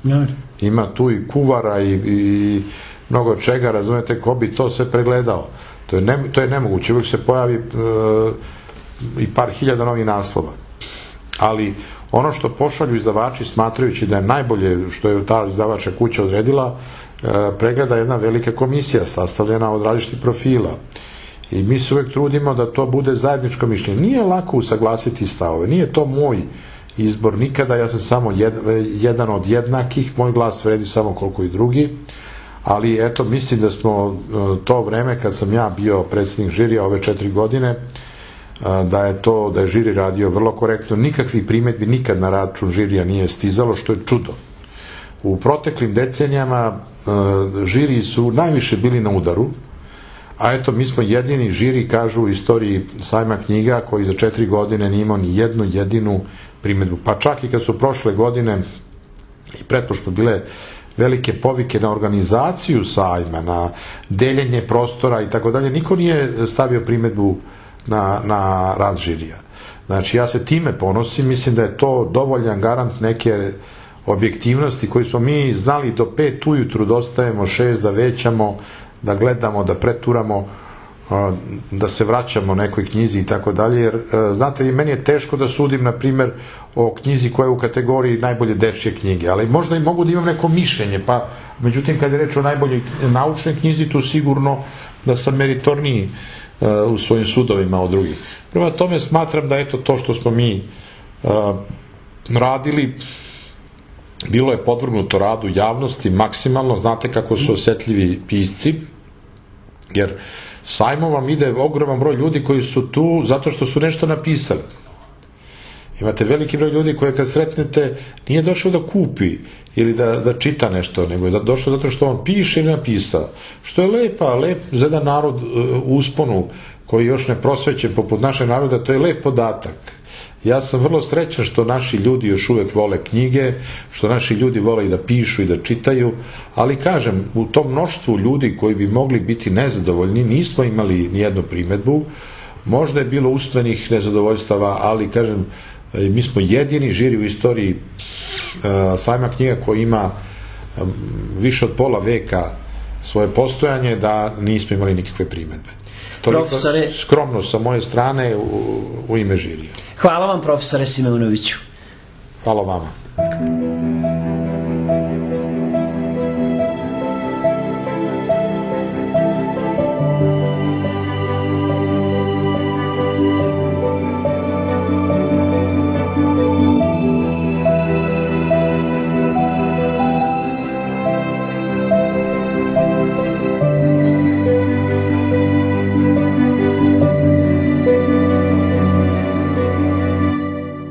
Mm-hmm. Ima tu i kuvara i, i mnogo čega, razumete, ko bi to sve pregledao. To je, ne, to je nemoguće. Uvijek se pojavi uh, i par hiljada novih naslova. Ali ono što pošalju izdavači smatrajući da je najbolje što je ta izdavača kuća odredila, pregleda jedna velika komisija sastavljena od različitih profila. I mi se uvijek trudimo da to bude zajedničko mišljenje. Nije lako usaglasiti stavove. Nije to moj izbor nikada. Ja sam samo jed, jedan od jednakih. Moj glas vredi samo koliko i drugi. Ali eto, mislim da smo to vreme kad sam ja bio predsjednik žirija ove četiri godine, da je to, da je žiri radio vrlo korektno, nikakvih primjedbi nikad na račun žirija nije stizalo, što je čudo. U proteklim decenijama žiri su najviše bili na udaru, a eto mi smo jedini žiri, kažu u istoriji sajma knjiga, koji za četiri godine nije imao ni jednu jedinu primjedbu. Pa čak i kad su prošle godine i pretpošlo bile velike povike na organizaciju sajma, na deljenje prostora i tako dalje, niko nije stavio primjedbu na, na rad žirija. Znači ja se time ponosim, mislim da je to dovoljan garant neke objektivnosti koji smo mi znali do pet ujutru da ostajemo šest da većamo, da gledamo, da preturamo, da se vraćamo nekoj knjizi i tako dalje, jer znate, meni je teško da sudim, na primer, o knjizi koja je u kategoriji najbolje dečje knjige, ali možda i mogu da imam neko mišljenje, pa međutim kad je reč o najboljoj naučnoj knjizi, tu sigurno da sam meritorniji u svojim sudovima od drugih. Prema tome smatram da eto to što smo mi radili bilo je podvrgnuto radu javnosti maksimalno. Znate kako su osetljivi pisci, jer sajmom vam ide ogroman broj ljudi koji su tu zato što su nešto napisali. Imate veliki broj ljudi koje kad sretnete nije došao da kupi ili da, da čita nešto, nego je došao zato što on piše ili napisao. Što je lepa, lep za jedan narod u usponu koji još ne prosvećen poput našeg naroda, to je lep podatak. Ja sam vrlo srećan što naši ljudi još uvek vole knjige, što naši ljudi vole i da pišu i da čitaju, ali kažem, u tom mnoštvu ljudi koji bi mogli biti nezadovoljni nismo imali nijednu primedbu. Možda je bilo usmenih nezadovoljstava, ali kažem, mi smo jedini žiri u istoriji sajma knjiga koji ima više od pola veka svoje postojanje da nismo imali nikakve primedbe. Profesore, skromno sa moje strane u, u ime žirija. Hvala vam, profesore Simeunoviću. Hvala vama.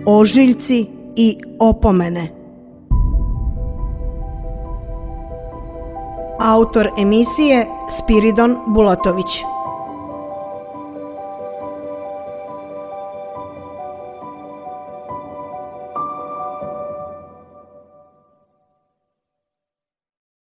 Ožiljci i opomene. Autor emisije Spiridon Bulatović.